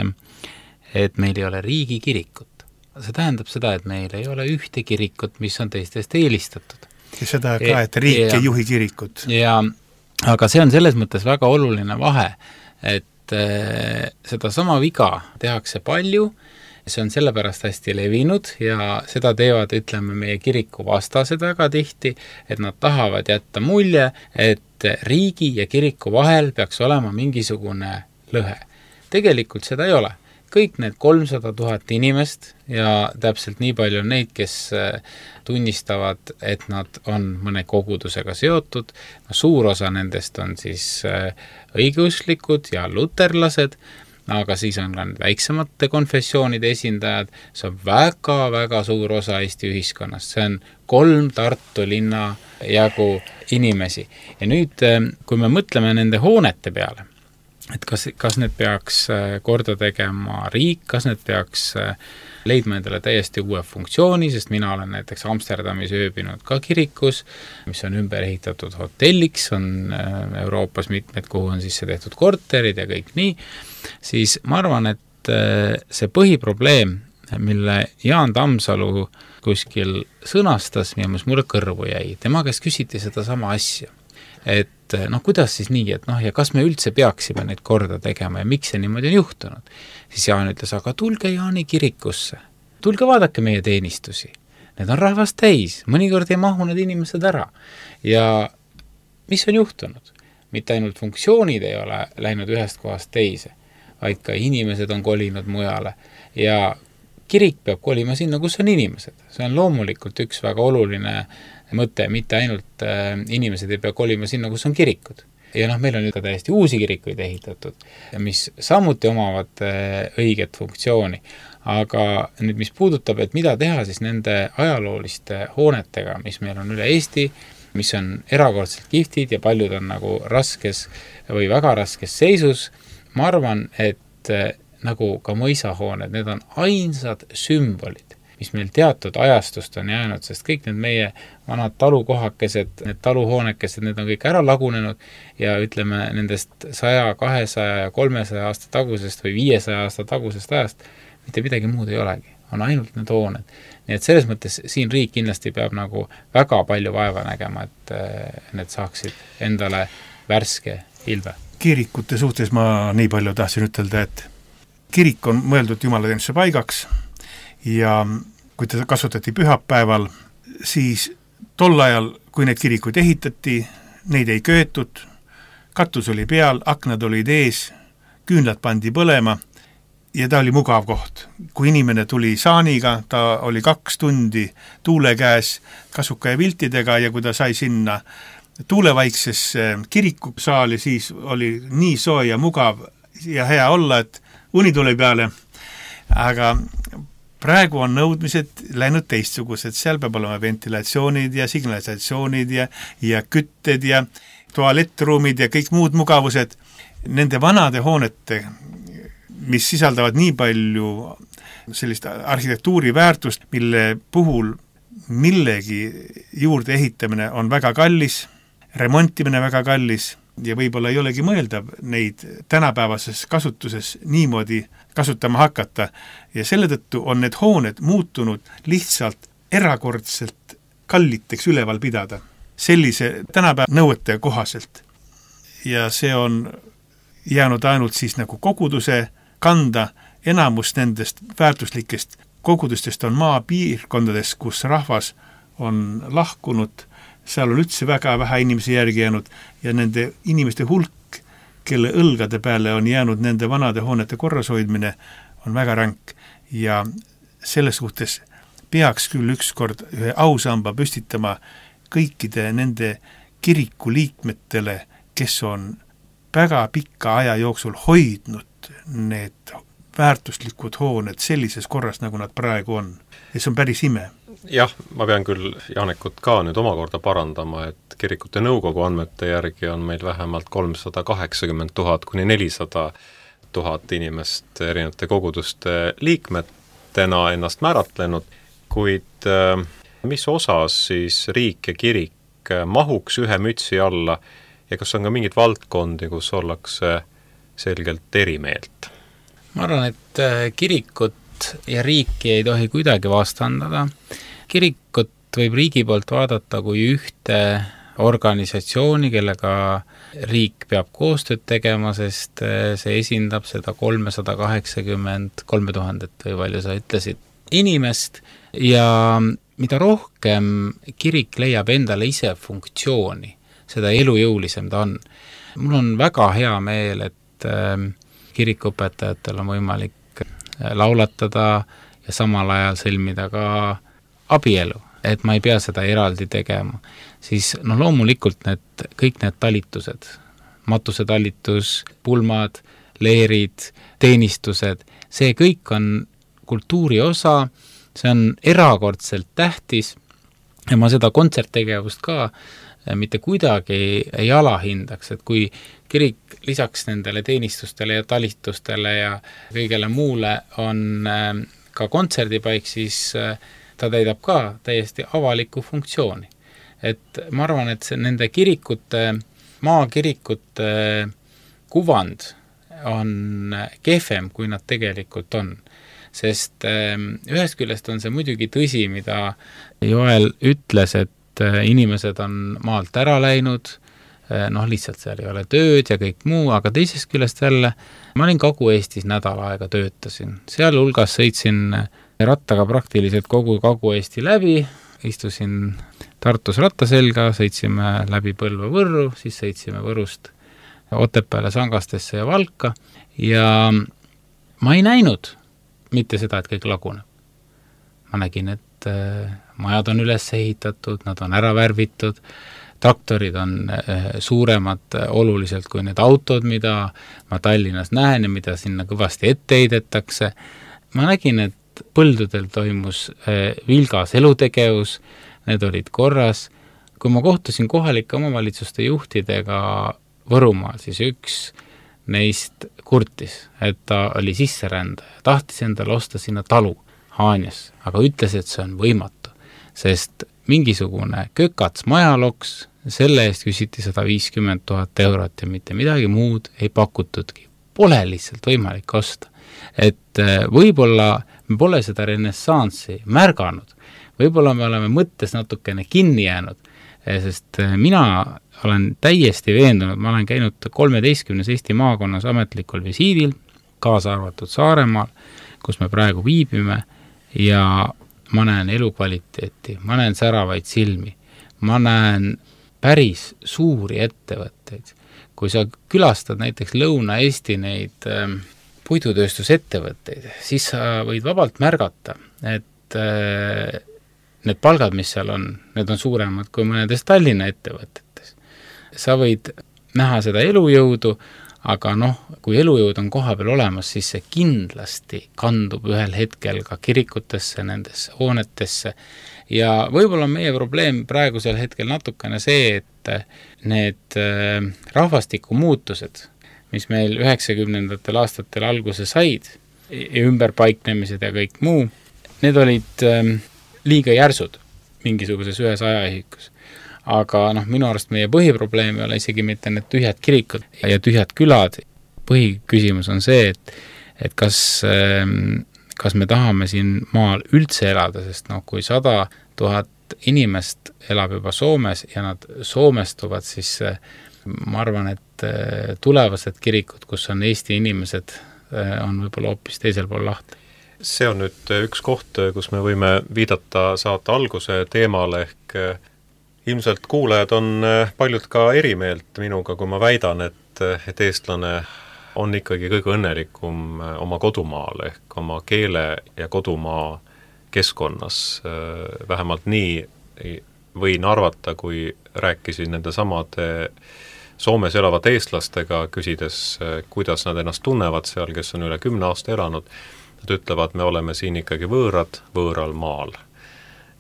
et meil ei ole riigi kirikut. See tähendab seda, et meil ei ole ühte kirikut, mis on teistest eelistatud. Ja seda ka, et riik ja, ei juhi kirikut. Ja, aga see on selles mõttes väga oluline vahe, et äh, seda sama viga tehakse palju, see on sellepärast hästi levinud ja seda teevad, ütleme, meie kiriku vastased väga tihti, et nad tahavad jätta mulje, et riigi ja kiriku vahel peaks olema mingisugune lõhe. Tegelikult seda ei ole. Kõik need kolmsada tuhat inimest ja täpselt nii palju on neid, kes tunnistavad, et nad on mõne kogudusega seotud. No, suur osa nendest on siis õigeusklikud ja luterlased, aga siis on ka väiksemate konfessioonide esindajad. See on väga-väga suur osa Eesti ühiskonnast. See on kolm Tartu linna jagu inimesi. Ja nüüd, kui me mõtleme nende hoonete peale, et kas, kas need peaks korda tegema riik, kas need peaks leidma endale täiesti uue funktsiooni, sest mina olen näiteks Amsterdamis ööbinud ka kirikus, mis on ümber ehitatud hotelliks, on Euroopas mitmed, kuhu on sisse tehtud korterid ja kõik nii, siis ma arvan, et see põhiprobleem, mille Jaan Tammsalu kuskil sõnastas, mis mulle kõrvu jäi, tema käest küsiti seda sama asja. Et noh, kuidas siis nii, et noh, ja kas me üldse peaksime neid korda tegema ja miks see niimoodi on juhtunud? Siis Jaan ütles, aga tulge Jaani kirikusse, tulge vaadake meie teenistusi. Need on rahvast täis, mõnikord ei mahu need inimesed ära. Ja mis on juhtunud? Mitte ainult funktsioonid ei ole läinud ühest kohast teise, vaid ka inimesed on kolinud mujale ja kirik peab kolima sinna, kus on inimesed. See on loomulikult üks väga oluline mõte, mitte ainult äh, inimesed ei pea kolima sinna, kus on kirikud. Ja noh, meil on nüüd ka täiesti uusi kirikuid ehitatud, mis samuti omavad äh, õiget funktsiooni. Aga nüüd, mis puudutab, et mida teha siis nende ajalooliste hoonetega, mis meil on üle Eesti, mis on erakordselt kihvtid ja paljud on nagu raskes või väga raskes seisus, ma arvan, et äh, nagu ka mõisahooned, need on ainsad sümbolid, mis meil teatud ajastust on jäänud, sest kõik need meie vanad talukohakesed, need taluhoonekesed, need on kõik ära lagunenud ja ütleme nendest saja, kahesaja ja kolmesaja aasta tagusest või viiesaja aasta tagusest ajast mitte midagi muud ei olegi, on ainult need hooned. Nii et selles mõttes siin riik kindlasti peab nagu väga palju vaeva nägema, et need saaksid endale värske ilve. Kirikute suhtes ma nii palju tahtsin ütelda, et kirik on mõeldud jumalateenistuse paigaks ja kui ta kasutati pühapäeval, siis tol ajal, kui need kirikuid ehitati, neid ei köetud, katus oli peal, aknad olid ees, küünlad pandi põlema ja ta oli mugav koht. Kui inimene tuli saaniga, ta oli kaks tundi tuule käes kasuka ja viltidega ja kui ta sai sinna tuulevaiksesse kirikusaali, siis oli nii soe ja mugav ja hea olla, et uni tuli peale, aga praegu on nõudmised läinud teistsugused, seal peab olema ventilatsioonid ja signalisatsioonid ja, ja kütted ja tualettruumid ja kõik muud mugavused. Nende vanade hoonete, mis sisaldavad nii palju sellist arhitektuuri väärtust, mille puhul millegi juurde ehitamine on väga kallis, remontimine väga kallis ja võib-olla ei olegi mõeldav neid tänapäevases kasutuses niimoodi kasutama hakata ja selle tõttu on need hooned muutunud lihtsalt erakordselt kalliteks üleval pidada sellise tänapäeva nõuete kohaselt. Ja see on jäänud ainult siis nagu koguduse kanda, enamus nendest väärtuslikest kogudustest on maapiirkondades, kus rahvas on lahkunud, seal on üldse väga vähe inimesi järgi jäänud ja nende inimeste hulk, kelle õlgade peale on jäänud nende vanade hoonete korrashoidmine, on väga ränk ja selles suhtes peaks küll ükskord ühe ausamba püstitama kõikide nende kiriku liikmetele, kes on väga pikka aja jooksul hoidnud need väärtuslikud hooned sellises korras, nagu nad praegu on. Ja see on päris ime. Jah, ma pean küll Janekut ka nüüd omakorda parandama, et kirikute nõukogu andmete järgi on meil vähemalt kolmsada kaheksakümmend tuhat kuni nelisada tuhat inimest erinevate koguduste liikmetena ennast määratlenud, kuid mis osas siis riik ja kirik mahuks ühe mütsi alla ja kas on ka mingid valdkondi, kus ollakse selgelt erimeelt? Ma arvan, et kirikut ja riiki ei tohi kuidagi vastandada. Kirikut võib riigi poolt vaadata kui ühte organisatsiooni, kellega riik peab koostööd tegema, sest see esindab seda kolmsada kaheksakümmend kolm tuhandet või palju sa ütlesid inimest ja mida rohkem kirik leiab endale ise funktsiooni, seda elujõulisem ta on. Mul on väga hea meel, et kirikuõpetajatel on võimalik laulatada ja samal ajal sõlmida ka abielu, et ma ei pea seda eraldi tegema. Siis no loomulikult need, kõik need talitused, matusetalitus, pulmad, leerid, teenistused, see kõik on kultuuri osa, see on erakordselt tähtis ja ma seda kontserttegevust ka mitte kuidagi ei alahindaks, et kui kirik lisaks nendele teenistustele ja talitustele ja kõigele muule on ka kontserdipaik, siis ta täidab ka täiesti avalikku funktsiooni. Et ma arvan, et see nende kirikute, maakirikute kuvand on kehvem, kui nad tegelikult on. Sest ühest küljest on see muidugi tõsi, mida Joel ütles, et inimesed on maalt ära läinud, noh lihtsalt seal ei ole tööd ja kõik muu, aga teisest küljest jälle, ma olin Kagu-Eestis nädal aega töötasin. Seal hulgas sõitsin rattaga praktiliselt kogu Kagu-Eesti läbi, istusin Tartus ratta selga, sõitsime läbi Põlva Võrru, siis sõitsime Võrust Otepääle, Sangastesse ja Valka ja ma ei näinud mitte seda, et kõik laguneb. Ma nägin, et majad on üles ehitatud, nad on ära värvitud, traktorid on suuremad oluliselt kui need autod, mida ma Tallinnas näen ja mida sinna kõvasti ette heidetakse. Ma nägin, et põldudel toimus vilgas elutegevus, need olid korras. Kui ma kohtusin kohalike omavalitsuste juhtidega Võrumaal, siis üks neist kurtis, et ta oli sisserändaja, tahtis endale osta sinna talu. Haanjas, aga ütles, et see on võimatu, sest mingisugune kökats majaloks, selle eest küsiti sada viiskümmend tuhat eurot ja mitte midagi muud ei pakutudki. Pole lihtsalt võimalik osta. Et võib-olla me pole seda renessanssi märganud, võib-olla me oleme mõttes natukene kinni jäänud, sest mina olen täiesti veendunud, ma olen käinud kolmeteistkümnes Eesti maakonnas ametlikul visiidil, kaasa arvatud Saaremaal, kus me praegu viibime, ja ma näen elukvaliteeti, ma näen säravaid silmi, ma näen päris suuri ettevõtteid. Kui sa külastad näiteks Lõuna-Eesti neid äh, puidutööstusettevõtteid, siis sa võid vabalt märgata, et äh, need palgad, mis seal on, need on suuremad kui mõnedes Tallinna ettevõtetes. Sa võid näha seda elujõudu, aga noh, kui elujõud on koha peal olemas, siis see kindlasti kandub ühel hetkel ka kirikutesse, nendesse hoonetesse ja võib-olla meie probleem praegusel hetkel natukene see, et need rahvastiku muutused, mis meil üheksakümnendatel aastatel alguse said, ümberpaiknemised ja kõik muu, need olid liiga järsud mingisuguses ühes ajaühikus. Aga noh, minu arust meie põhiprobleem ei ole isegi mitte need tühjad kirikud ja tühjad külad. Põhiküsimus on see, et, et kas, kas me tahame siin maal üldse elada, sest noh, kui sada tuhat inimest elab juba Soomes ja nad soomestuvad, siis ma arvan, et tulevased kirikud, kus on Eesti inimesed, on võib-olla hoopis teisel pool lahti. See on nüüd üks koht, kus me võime viidata saate alguse teemale ehk ilmselt kuulajad on paljud ka erimeelt minuga, kui ma väidan, et, et eestlane on ikkagi kõige õnnelikum oma kodumaal ehk oma keele ja kodumaa keskkonnas. Vähemalt nii võin arvata, kui rääkisin nende samade Soomes elavate eestlastega, küsides, kuidas nad ennast tunnevad seal, kes on üle kümne aasta elanud. Nad ütlevad, me oleme siin ikkagi võõrad, võõral maal.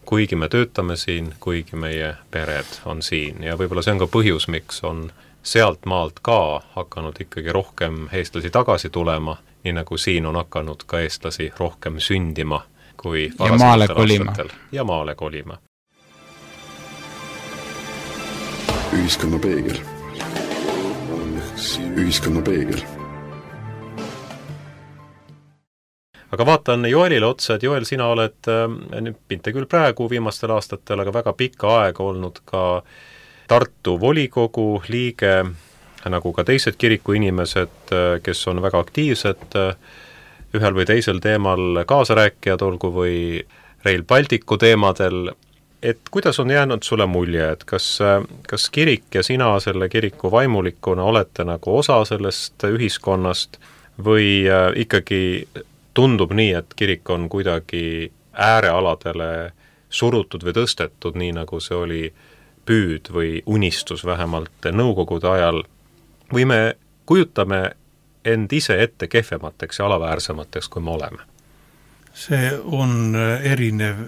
Kuigi me töötame siin, kuigi meie pered on siin ja võib-olla see on ka põhjus, miks on sealt maalt ka hakanud ikkagi rohkem eestlasi tagasi tulema, nii nagu siin on hakanud ka eestlasi rohkem sündima kui ja maale kolima. Ja maale kolima. Ühiskonna peegel. Ühiskonna peegel. Aga vaatan Joelile otsa, et Joel, sina oled mitte küll praegu viimastel aastatel, aga väga pikka aega olnud ka Tartu volikogu liige, nagu ka teised kirikuinimesed, kes on väga aktiivsed ühel või teisel teemal kaasarääkijad, olgu või Rail Balticu teemadel. Et kuidas on jäänud sulle mulje, et kas, kas kirik ja sina selle kiriku vaimulikuna olete nagu osa sellest ühiskonnast või ikkagi tundub nii, et kirik on kuidagi äärealadele surutud või tõstetud, nii nagu see oli püüd või unistus vähemalt nõukogude ajal, või me kujutame end ise ette kehvemateks ja alaväärsemateks, kui me oleme? See on erinev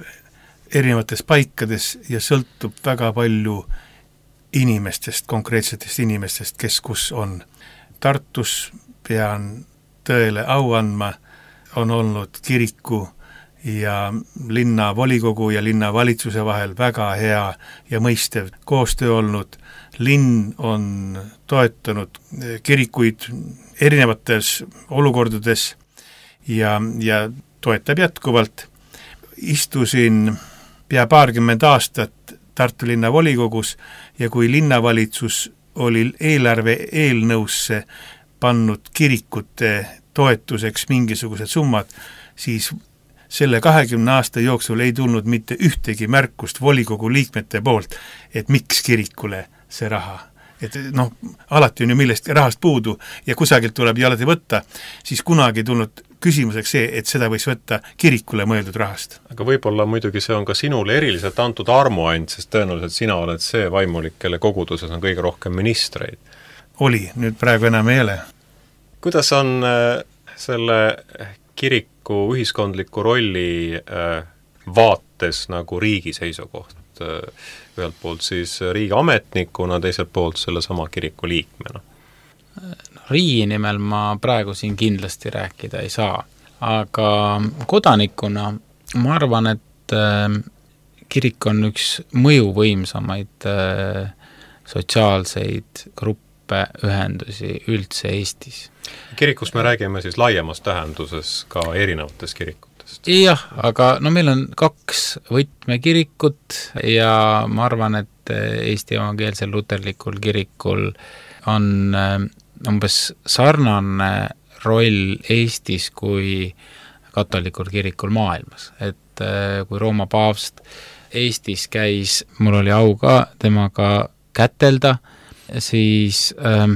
erinevates paikades ja sõltub väga palju inimestest, konkreetsetest inimestest, kes kus on. Tartus pean tõele au andma, on olnud kiriku ja linna volikogu ja linna valitsuse vahel väga hea ja mõistev koostöö olnud. Linn on toetanud kirikuid erinevates olukordades ja, ja toetab jätkuvalt. Istusin pea paarkümmend aastat Tartu linna volikogus ja kui linnavalitsus oli eelarve eelnõusse pannud kirikute toetuseks mingisugused summad, siis selle kahekümne aasta jooksul ei tulnud mitte ühtegi märkust volikogu liikmete poolt, et miks kirikule see raha. Et noh, alati on ju millest rahast puudu ja kusagilt tuleb alati võtta, siis kunagi tulnud küsimuseks see, et seda võiks võtta kirikule mõeldud rahast. Aga võib-olla muidugi see on ka sinule eriliselt antud armuand, sest tõenäoliselt sina oled see vaimulik, kelle koguduses on kõige rohkem ministreid. Oli, nüüd praegu enam ei ole. Kuidas on selle kiriku ühiskondliku rolli vaates nagu riigi seisukoht? Ühelt poolt siis riigi ametnikuna, teiselt poolt selle sama kiriku liikmena? Riigi nimel ma praegu siin kindlasti rääkida ei saa, aga kodanikuna ma arvan, et äh, kirik on üks mõjuvõimsamaid äh, sotsiaalseid gruppe, ühendusi üldse Eestis. Kirikust me räägime siis laiemas tähenduses ka erinevatest kirikutest. Jah, aga no meil on kaks võtmekirikut ja ma arvan, et Eesti evangeelsel luterlikul kirikul on äh, umbes sarnane roll Eestis kui katolikul kirikul maailmas. Et äh, kui Rooma paavst Eestis käis, mul oli au ka temaga kätelda, siis äh,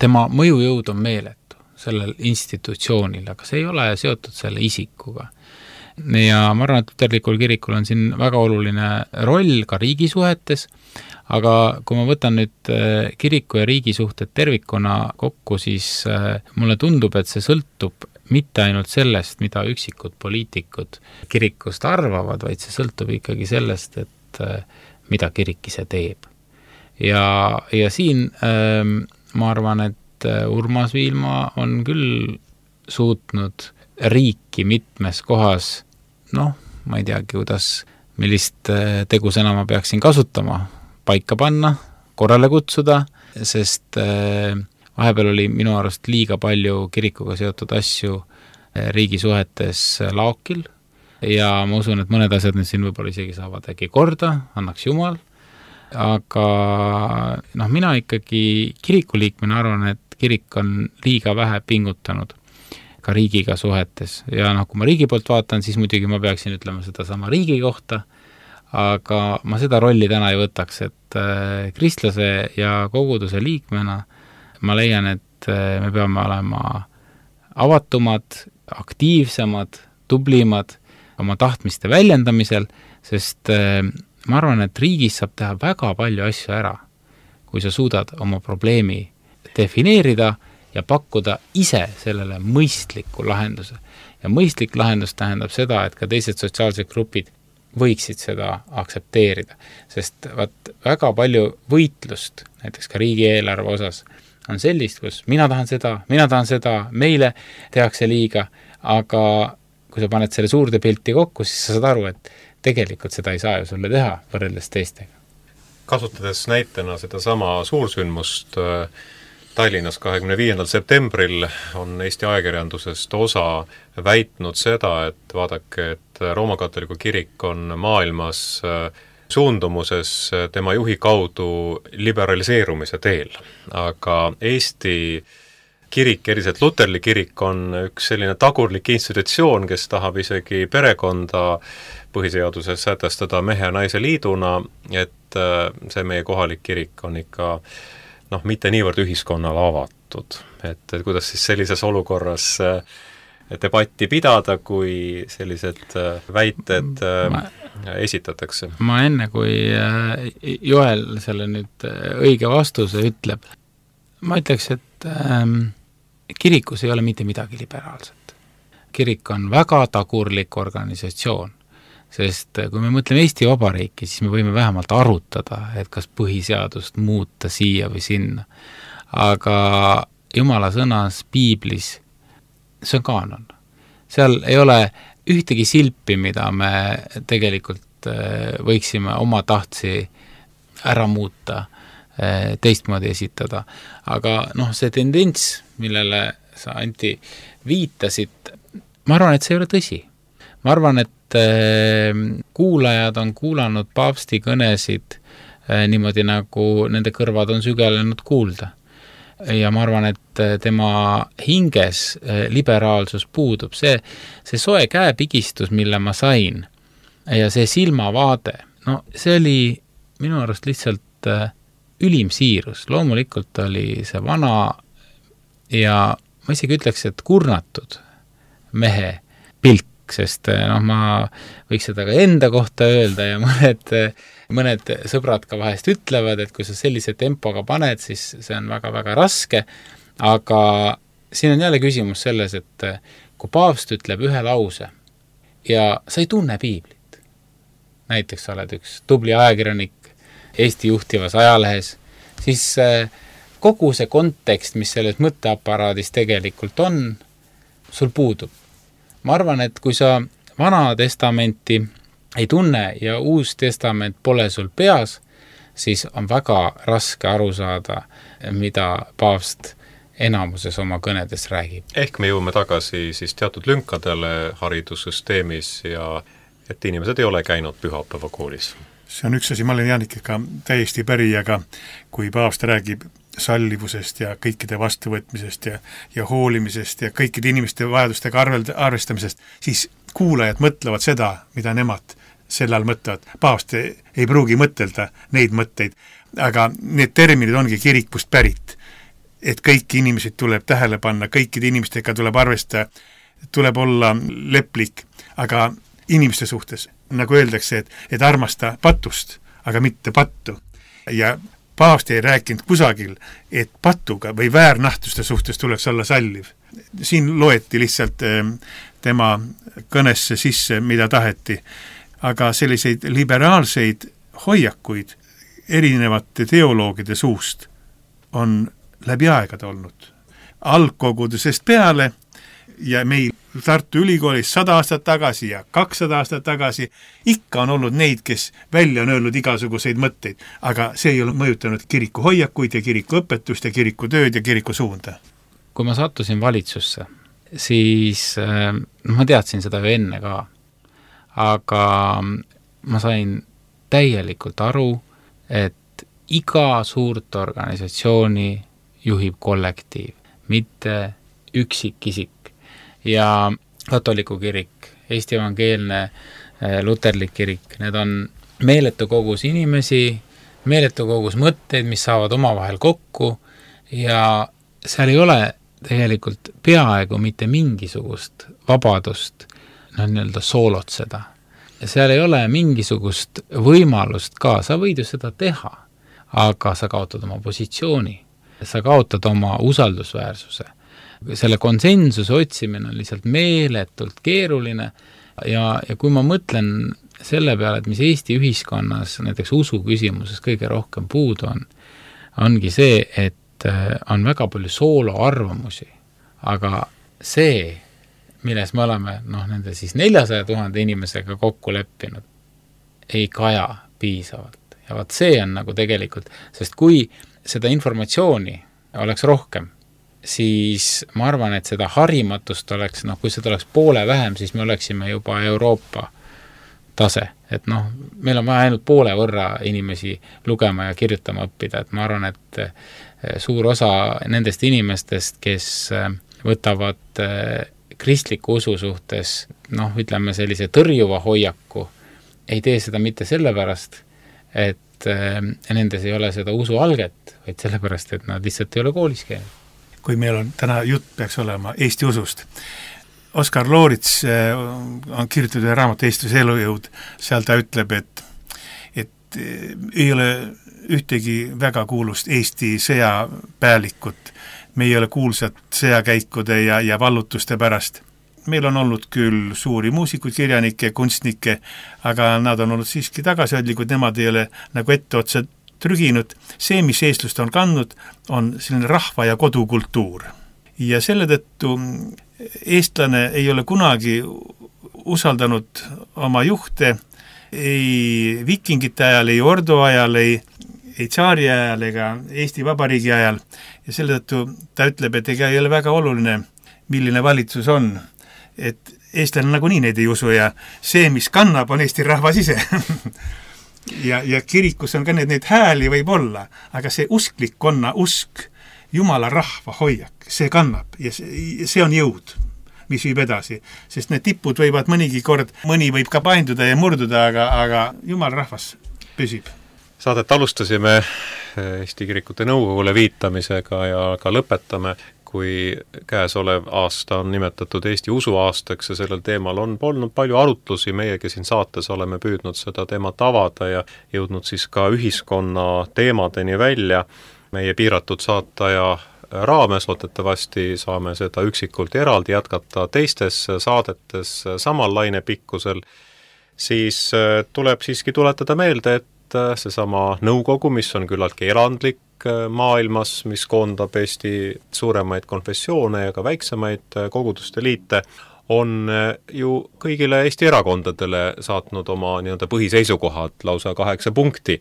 tema mõjujõud on meeletu sellel institutsioonil, aga see ei ole seotud selle isikuga. Ja ma arvan, et luterlikul kirikul on siin väga oluline roll ka riigisuhetes, aga kui ma võtan nüüd äh, kiriku ja riigisuhted tervikuna kokku, siis äh, mulle tundub, et see sõltub mitte ainult sellest, mida üksikud poliitikud kirikust arvavad, vaid see sõltub ikkagi sellest, et äh, mida kirik ise teeb. Ja, ja siin äh, ma arvan, et Urmas Viilma on küll suutnud riiki mitmes kohas, noh, ma ei teagi, kuidas, millist äh, tegusõna ma peaksin kasutama, paika panna, korrale kutsuda, sest äh, vahepeal oli minu arust liiga palju kirikuga seotud asju riigisuhetes laokil ja ma usun, et mõned asjad nüüd siin võib-olla isegi saavad äkki korda, annaks Jumal, aga noh, mina ikkagi kirikuliikmena arvan, et kirik on liiga vähe pingutanud ka riigiga suhetes ja noh, kui ma riigi poolt vaatan, siis muidugi ma peaksin ütlema seda sama riigi kohta, aga ma seda rolli täna ei võtaks, et äh, kristlase ja koguduse liikmena ma leian, et me peame olema avatumad, aktiivsemad, tublimad oma tahtmiste väljendamisel, sest ma arvan, et riigis saab teha väga palju asju ära, kui sa suudad oma probleemi defineerida ja pakkuda ise sellele mõistliku lahenduse. Ja mõistlik lahendus tähendab seda, et ka teised sotsiaalsed grupid võiksid seda aktsepteerida, sest vaat väga palju võitlust, näiteks ka riigieelarve osas, on sellist, kus mina tahan seda, mina tahan seda, meile tehakse liiga, aga kui sa paned selle suurde pilti kokku, siis sa saad aru, et tegelikult seda ei saa ju sulle teha võrreldes teistega. Kasutades näitena seda sama suursündmust Tallinnas kahekümne viiendal septembril on Eesti ajakirjandusest osa väitnud seda, et vaadake, et Rooma katoliku kirik on maailmas suundumuses tema juhi kaudu liberaliseerumise teel. Aga Eesti kirik, eriselt luterlik kirik, on üks selline tagurlik institutsioon, kes tahab isegi perekonda põhiseaduses sätestada mehe ja naise liiduna, et see meie kohalik kirik on ikka noh, mitte niivõrd ühiskonnale avatud. Et, et kuidas siis sellises olukorras debatti pidada, kui sellised väited ma, esitatakse? Ma enne, kui Joel selle nüüd õige vastuse ütleb, ma ütleks, et ähm, kirikus ei ole mitte midagi liberaalset. Kirik on väga tagurlik organisatsioon, sest kui me mõtleme Eesti Vabariiki, siis me võime vähemalt arutada, et kas põhiseadust muuta siia või sinna. Aga Jumala sõnas Piiblis, see on kaanon. Seal ei ole ühtegi silpi, mida me tegelikult võiksime oma tahtsi ära muuta, teistmoodi esitada. Aga noh, see tendents, millele sa, Anti, viitasid, ma arvan, et see ei ole tõsi. Ma arvan, et kuulajad on kuulanud paavsti kõnesid niimoodi, nagu nende kõrvad on sügelenud kuulda. Ja ma arvan, et tema hinges liberaalsus puudub. See, see soe käepigistus, mille ma sain, ja see silmavaade, no see oli minu arust lihtsalt ülim siirus. Loomulikult oli see vana ja ma isegi ütleks, et kurnatud mehe pilk, sest noh, ma võiks seda ka enda kohta öelda ja mõned, mõned sõbrad ka vahest ütlevad, et kui sa sellise tempoga paned, siis see on väga-väga raske, aga siin on jälle küsimus selles, et kui paavst ütleb ühe lause ja sa ei tunne piiblit, näiteks sa oled üks tubli ajakirjanik Eesti juhtivas ajalehes, siis kogu see kontekst, mis selles mõtteaparaadis tegelikult on, sul puudub. Ma arvan, et kui sa Vana Testamenti ei tunne ja Uus Testament pole sul peas, siis on väga raske aru saada, mida paavst enamuses oma kõnedes räägib. Ehk me jõuame tagasi siis teatud lünkadele haridussüsteemis ja et inimesed ei ole käinud pühapäeva koolis. See on üks asi, ma olen Jaanikega täiesti päri, aga kui paavst räägib sallivusest ja kõikide vastuvõtmisest ja, ja hoolimisest ja kõikide inimeste vajadustega arvel, arvestamisest, siis kuulajad mõtlevad seda, mida nemad sel ajal mõtlevad. Paavst ei pruugi mõtelda neid mõtteid, aga need terminid ongi kirikust pärit. Et kõiki inimesed tuleb tähele panna, kõikide inimestega tuleb arvestada, tuleb olla leplik, aga inimeste suhtes, nagu öeldakse, et, et armasta patust, aga mitte pattu. Ja paavst ei rääkinud kusagil, et patuga või väärnahtuste suhtes tuleks olla salliv. Siin loeti lihtsalt tema kõnesse sisse, mida taheti, aga selliseid liberaalseid hoiakuid erinevate teoloogide suust on läbi aegade olnud. Algkogudusest peale ja meil Tartu Ülikoolis sada aastat tagasi ja kakssada aastat tagasi ikka on olnud neid, kes välja on öelnud igasuguseid mõtteid, aga see ei ole mõjutanud kiriku hoiakuid ja kiriku õpetust ja kiriku tööd ja kiriku suunda. Kui ma sattusin valitsusse, siis äh, ma teadsin seda ju enne ka, aga ma sain täielikult aru, et iga suurt organisatsiooni juhib kollektiiv, mitte üksikisik. Ja katoliku kirik, Eesti evangeelne luterlik kirik, need on meeletu kogus inimesi, meeletu kogus mõtteid, mis saavad omavahel kokku ja seal ei ole tegelikult peaaegu mitte mingisugust vabadust no, nii-öelda soolotseda. Ja seal ei ole mingisugust võimalust ka, sa võid ju seda teha, aga sa kaotad oma positsiooni, sa kaotad oma usaldusväärsuse. Selle konsensuse otsimine on lihtsalt meeletult keeruline ja, ja kui ma mõtlen selle peale, et mis Eesti ühiskonnas näiteks usu küsimuses kõige rohkem puudu on, ongi see, et on väga palju sooloarvamusi, aga see, milles me oleme noh, nende siis neljasaja tuhande inimesega kokku leppinud, ei kaja piisavalt. Ja vaat see on nagu tegelikult, sest kui seda informatsiooni oleks rohkem, siis ma arvan, et seda harimatust oleks, noh, kui seda oleks poole vähem, siis me oleksime juba Euroopa tase. Et noh, meil on vaja ainult poole võrra inimesi lugema ja kirjutama õppida, et ma arvan, et suur osa nendest inimestest, kes võtavad kristliku usu suhtes, noh, ütleme sellise tõrjuva hoiaku, ei tee seda mitte sellepärast, et nendes ei ole seda usu alget, vaid sellepärast, et nad lihtsalt ei ole koolis käinud. Kui meil on täna jutt peaks olema Eesti usust. Oskar Loorits on kirjutatud ühe raamatu Eestluse elujõud, seal ta ütleb, et, et ei ole ühtegi väga kuulust Eesti sõjapäälikut, me ei ole kuulsad sõjakäikude ja, ja vallutuste pärast. Meil on olnud küll suuri muusikuid, kirjanikke, kunstnikke, aga nad on olnud siiski tagasihoidlikud, nemad ei ole nagu ette otsa trüginud. See, mis eestlust on kandnud, on selline rahva- ja kodukultuur. Ja selle tõttu eestlane ei ole kunagi usaldanud oma juhte ei vikingite ajal, ei ordu ajal, ei, ei tsaari ajal ega Eesti Vabariigi ajal. Ja selle tõttu ta ütleb, et ega ei ole väga oluline, milline valitsus on. Et eestlane nagunii neid ei usu ja see, mis kannab, on Eesti rahvas ise. Ja, ja kirikus on ka need, need hääli võib olla, aga see usklikkonna usk, Jumala rahva hoiak, see kannab ja see, see on jõud, mis viib edasi. Sest need tipud võivad mõnigi kord, mõni võib ka painduda ja murduda, aga, aga Jumala rahvas püsib. Saadet alustasime Eesti Kirikute Nõukogule viitamisega ja ka lõpetame, kui käesolev aasta on nimetatud Eesti usuaastaks ja sellel teemal on olnud palju arutlusi, meiegi siin saates oleme püüdnud seda teemat avada ja jõudnud siis ka ühiskonna teemadeni välja. Meie piiratud saataja raames loodetavasti saame seda üksikult eraldi jätkata teistes saadetes samal lainepikkusel, siis tuleb siiski tuletada meelde, et seesama nõukogu, mis on küllaltki erandlik maailmas, mis koondab Eesti suuremaid konfessioone ja ka väiksemaid koguduste liite, on ju kõigile Eesti erakondadele saatnud oma nii-öelda põhiseisukohad lausa kaheksa punkti,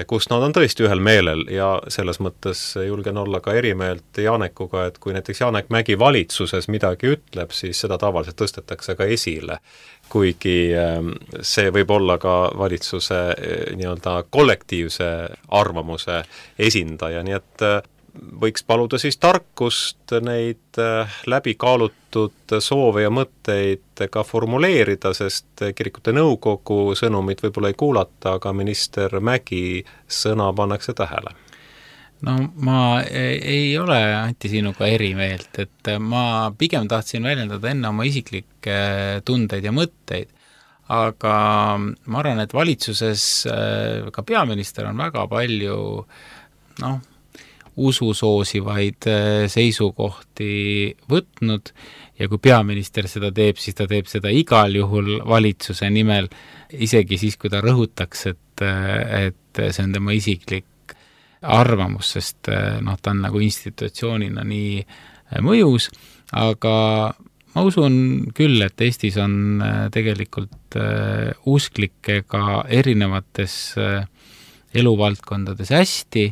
kus nad on tõesti ühel meelel ja selles mõttes julgen olla ka erimeelt Janekuga, et kui näiteks Janek Mägi valitsuses midagi ütleb, siis seda tavaliselt tõstetakse ka esile, kuigi see võib olla ka valitsuse nii-öelda kollektiivse arvamuse esindaja, nii et võiks paluda siis tarkust neid läbi kaalutud soove ja mõtteid ka formuleerida, sest kirikute nõukogu sõnumit võib-olla ei kuulata, aga minister Mägi sõna pannakse tähele. No ma ei ole Anti sinuga eri meelt, et ma pigem tahtsin väljendada enne oma isiklikke tundeid ja mõtteid, aga ma arvan, et valitsuses ka peaminister on väga palju noh, usu soosivaid seisukohti võtnud ja kui peaminister seda teeb, siis ta teeb seda igal juhul valitsuse nimel, isegi siis, kui ta rõhutaks, et, et see on tema isiklik arvamus, sest noh, ta on nagu institutsioonina nii mõjus, aga ma usun küll, et Eestis on tegelikult usklikkega erinevates eluvaldkondades hästi,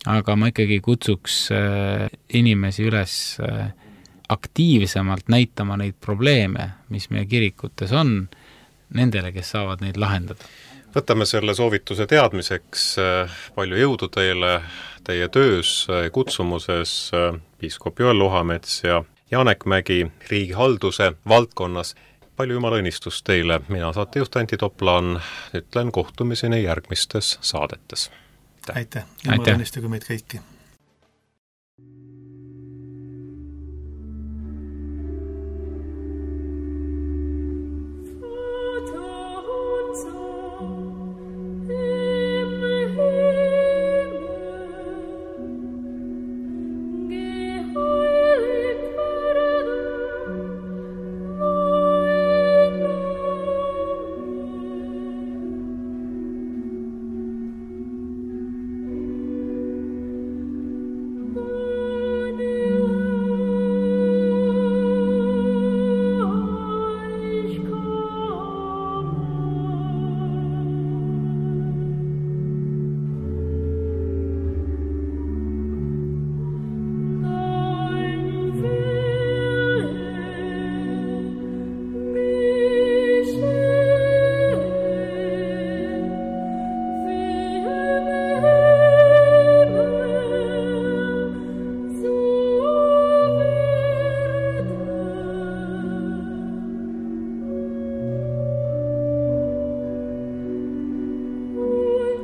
aga ma ikkagi kutsuks inimesi üles aktiivsemalt näitama neid probleeme, mis meie kirikutes on, nendele, kes saavad neid lahendada. Võtame selle soovituse teadmiseks, palju jõudu teile, teie töös, kutsumuses, piiskop Joel Luhamets ja Janek Mägi riigihalduse valdkonnas. Palju jumala õnnistust teile, mina saatejuht Anti Toplaan, ütlen kohtumiseni järgmistes saadetes. Aitäh, jumala õnnistugu meid kõiki.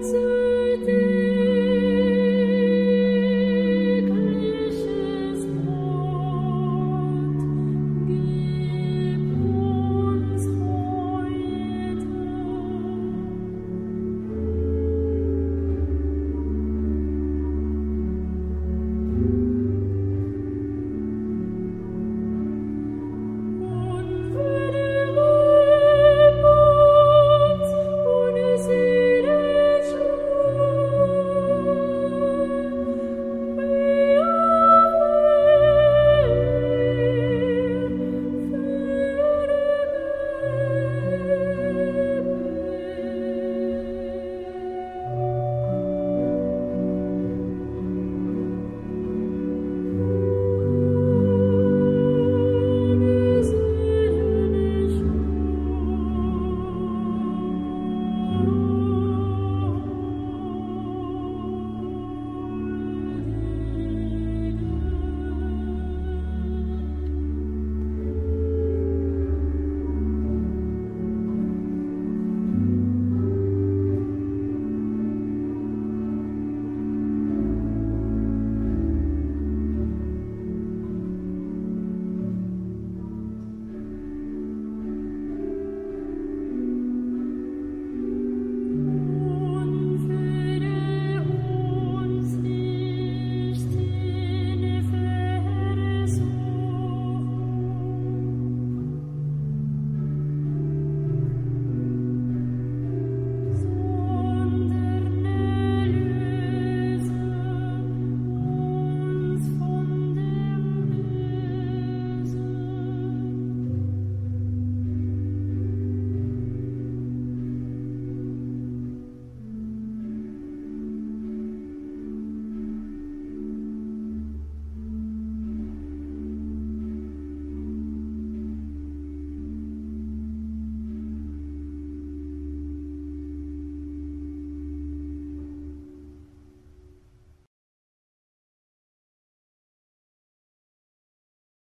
So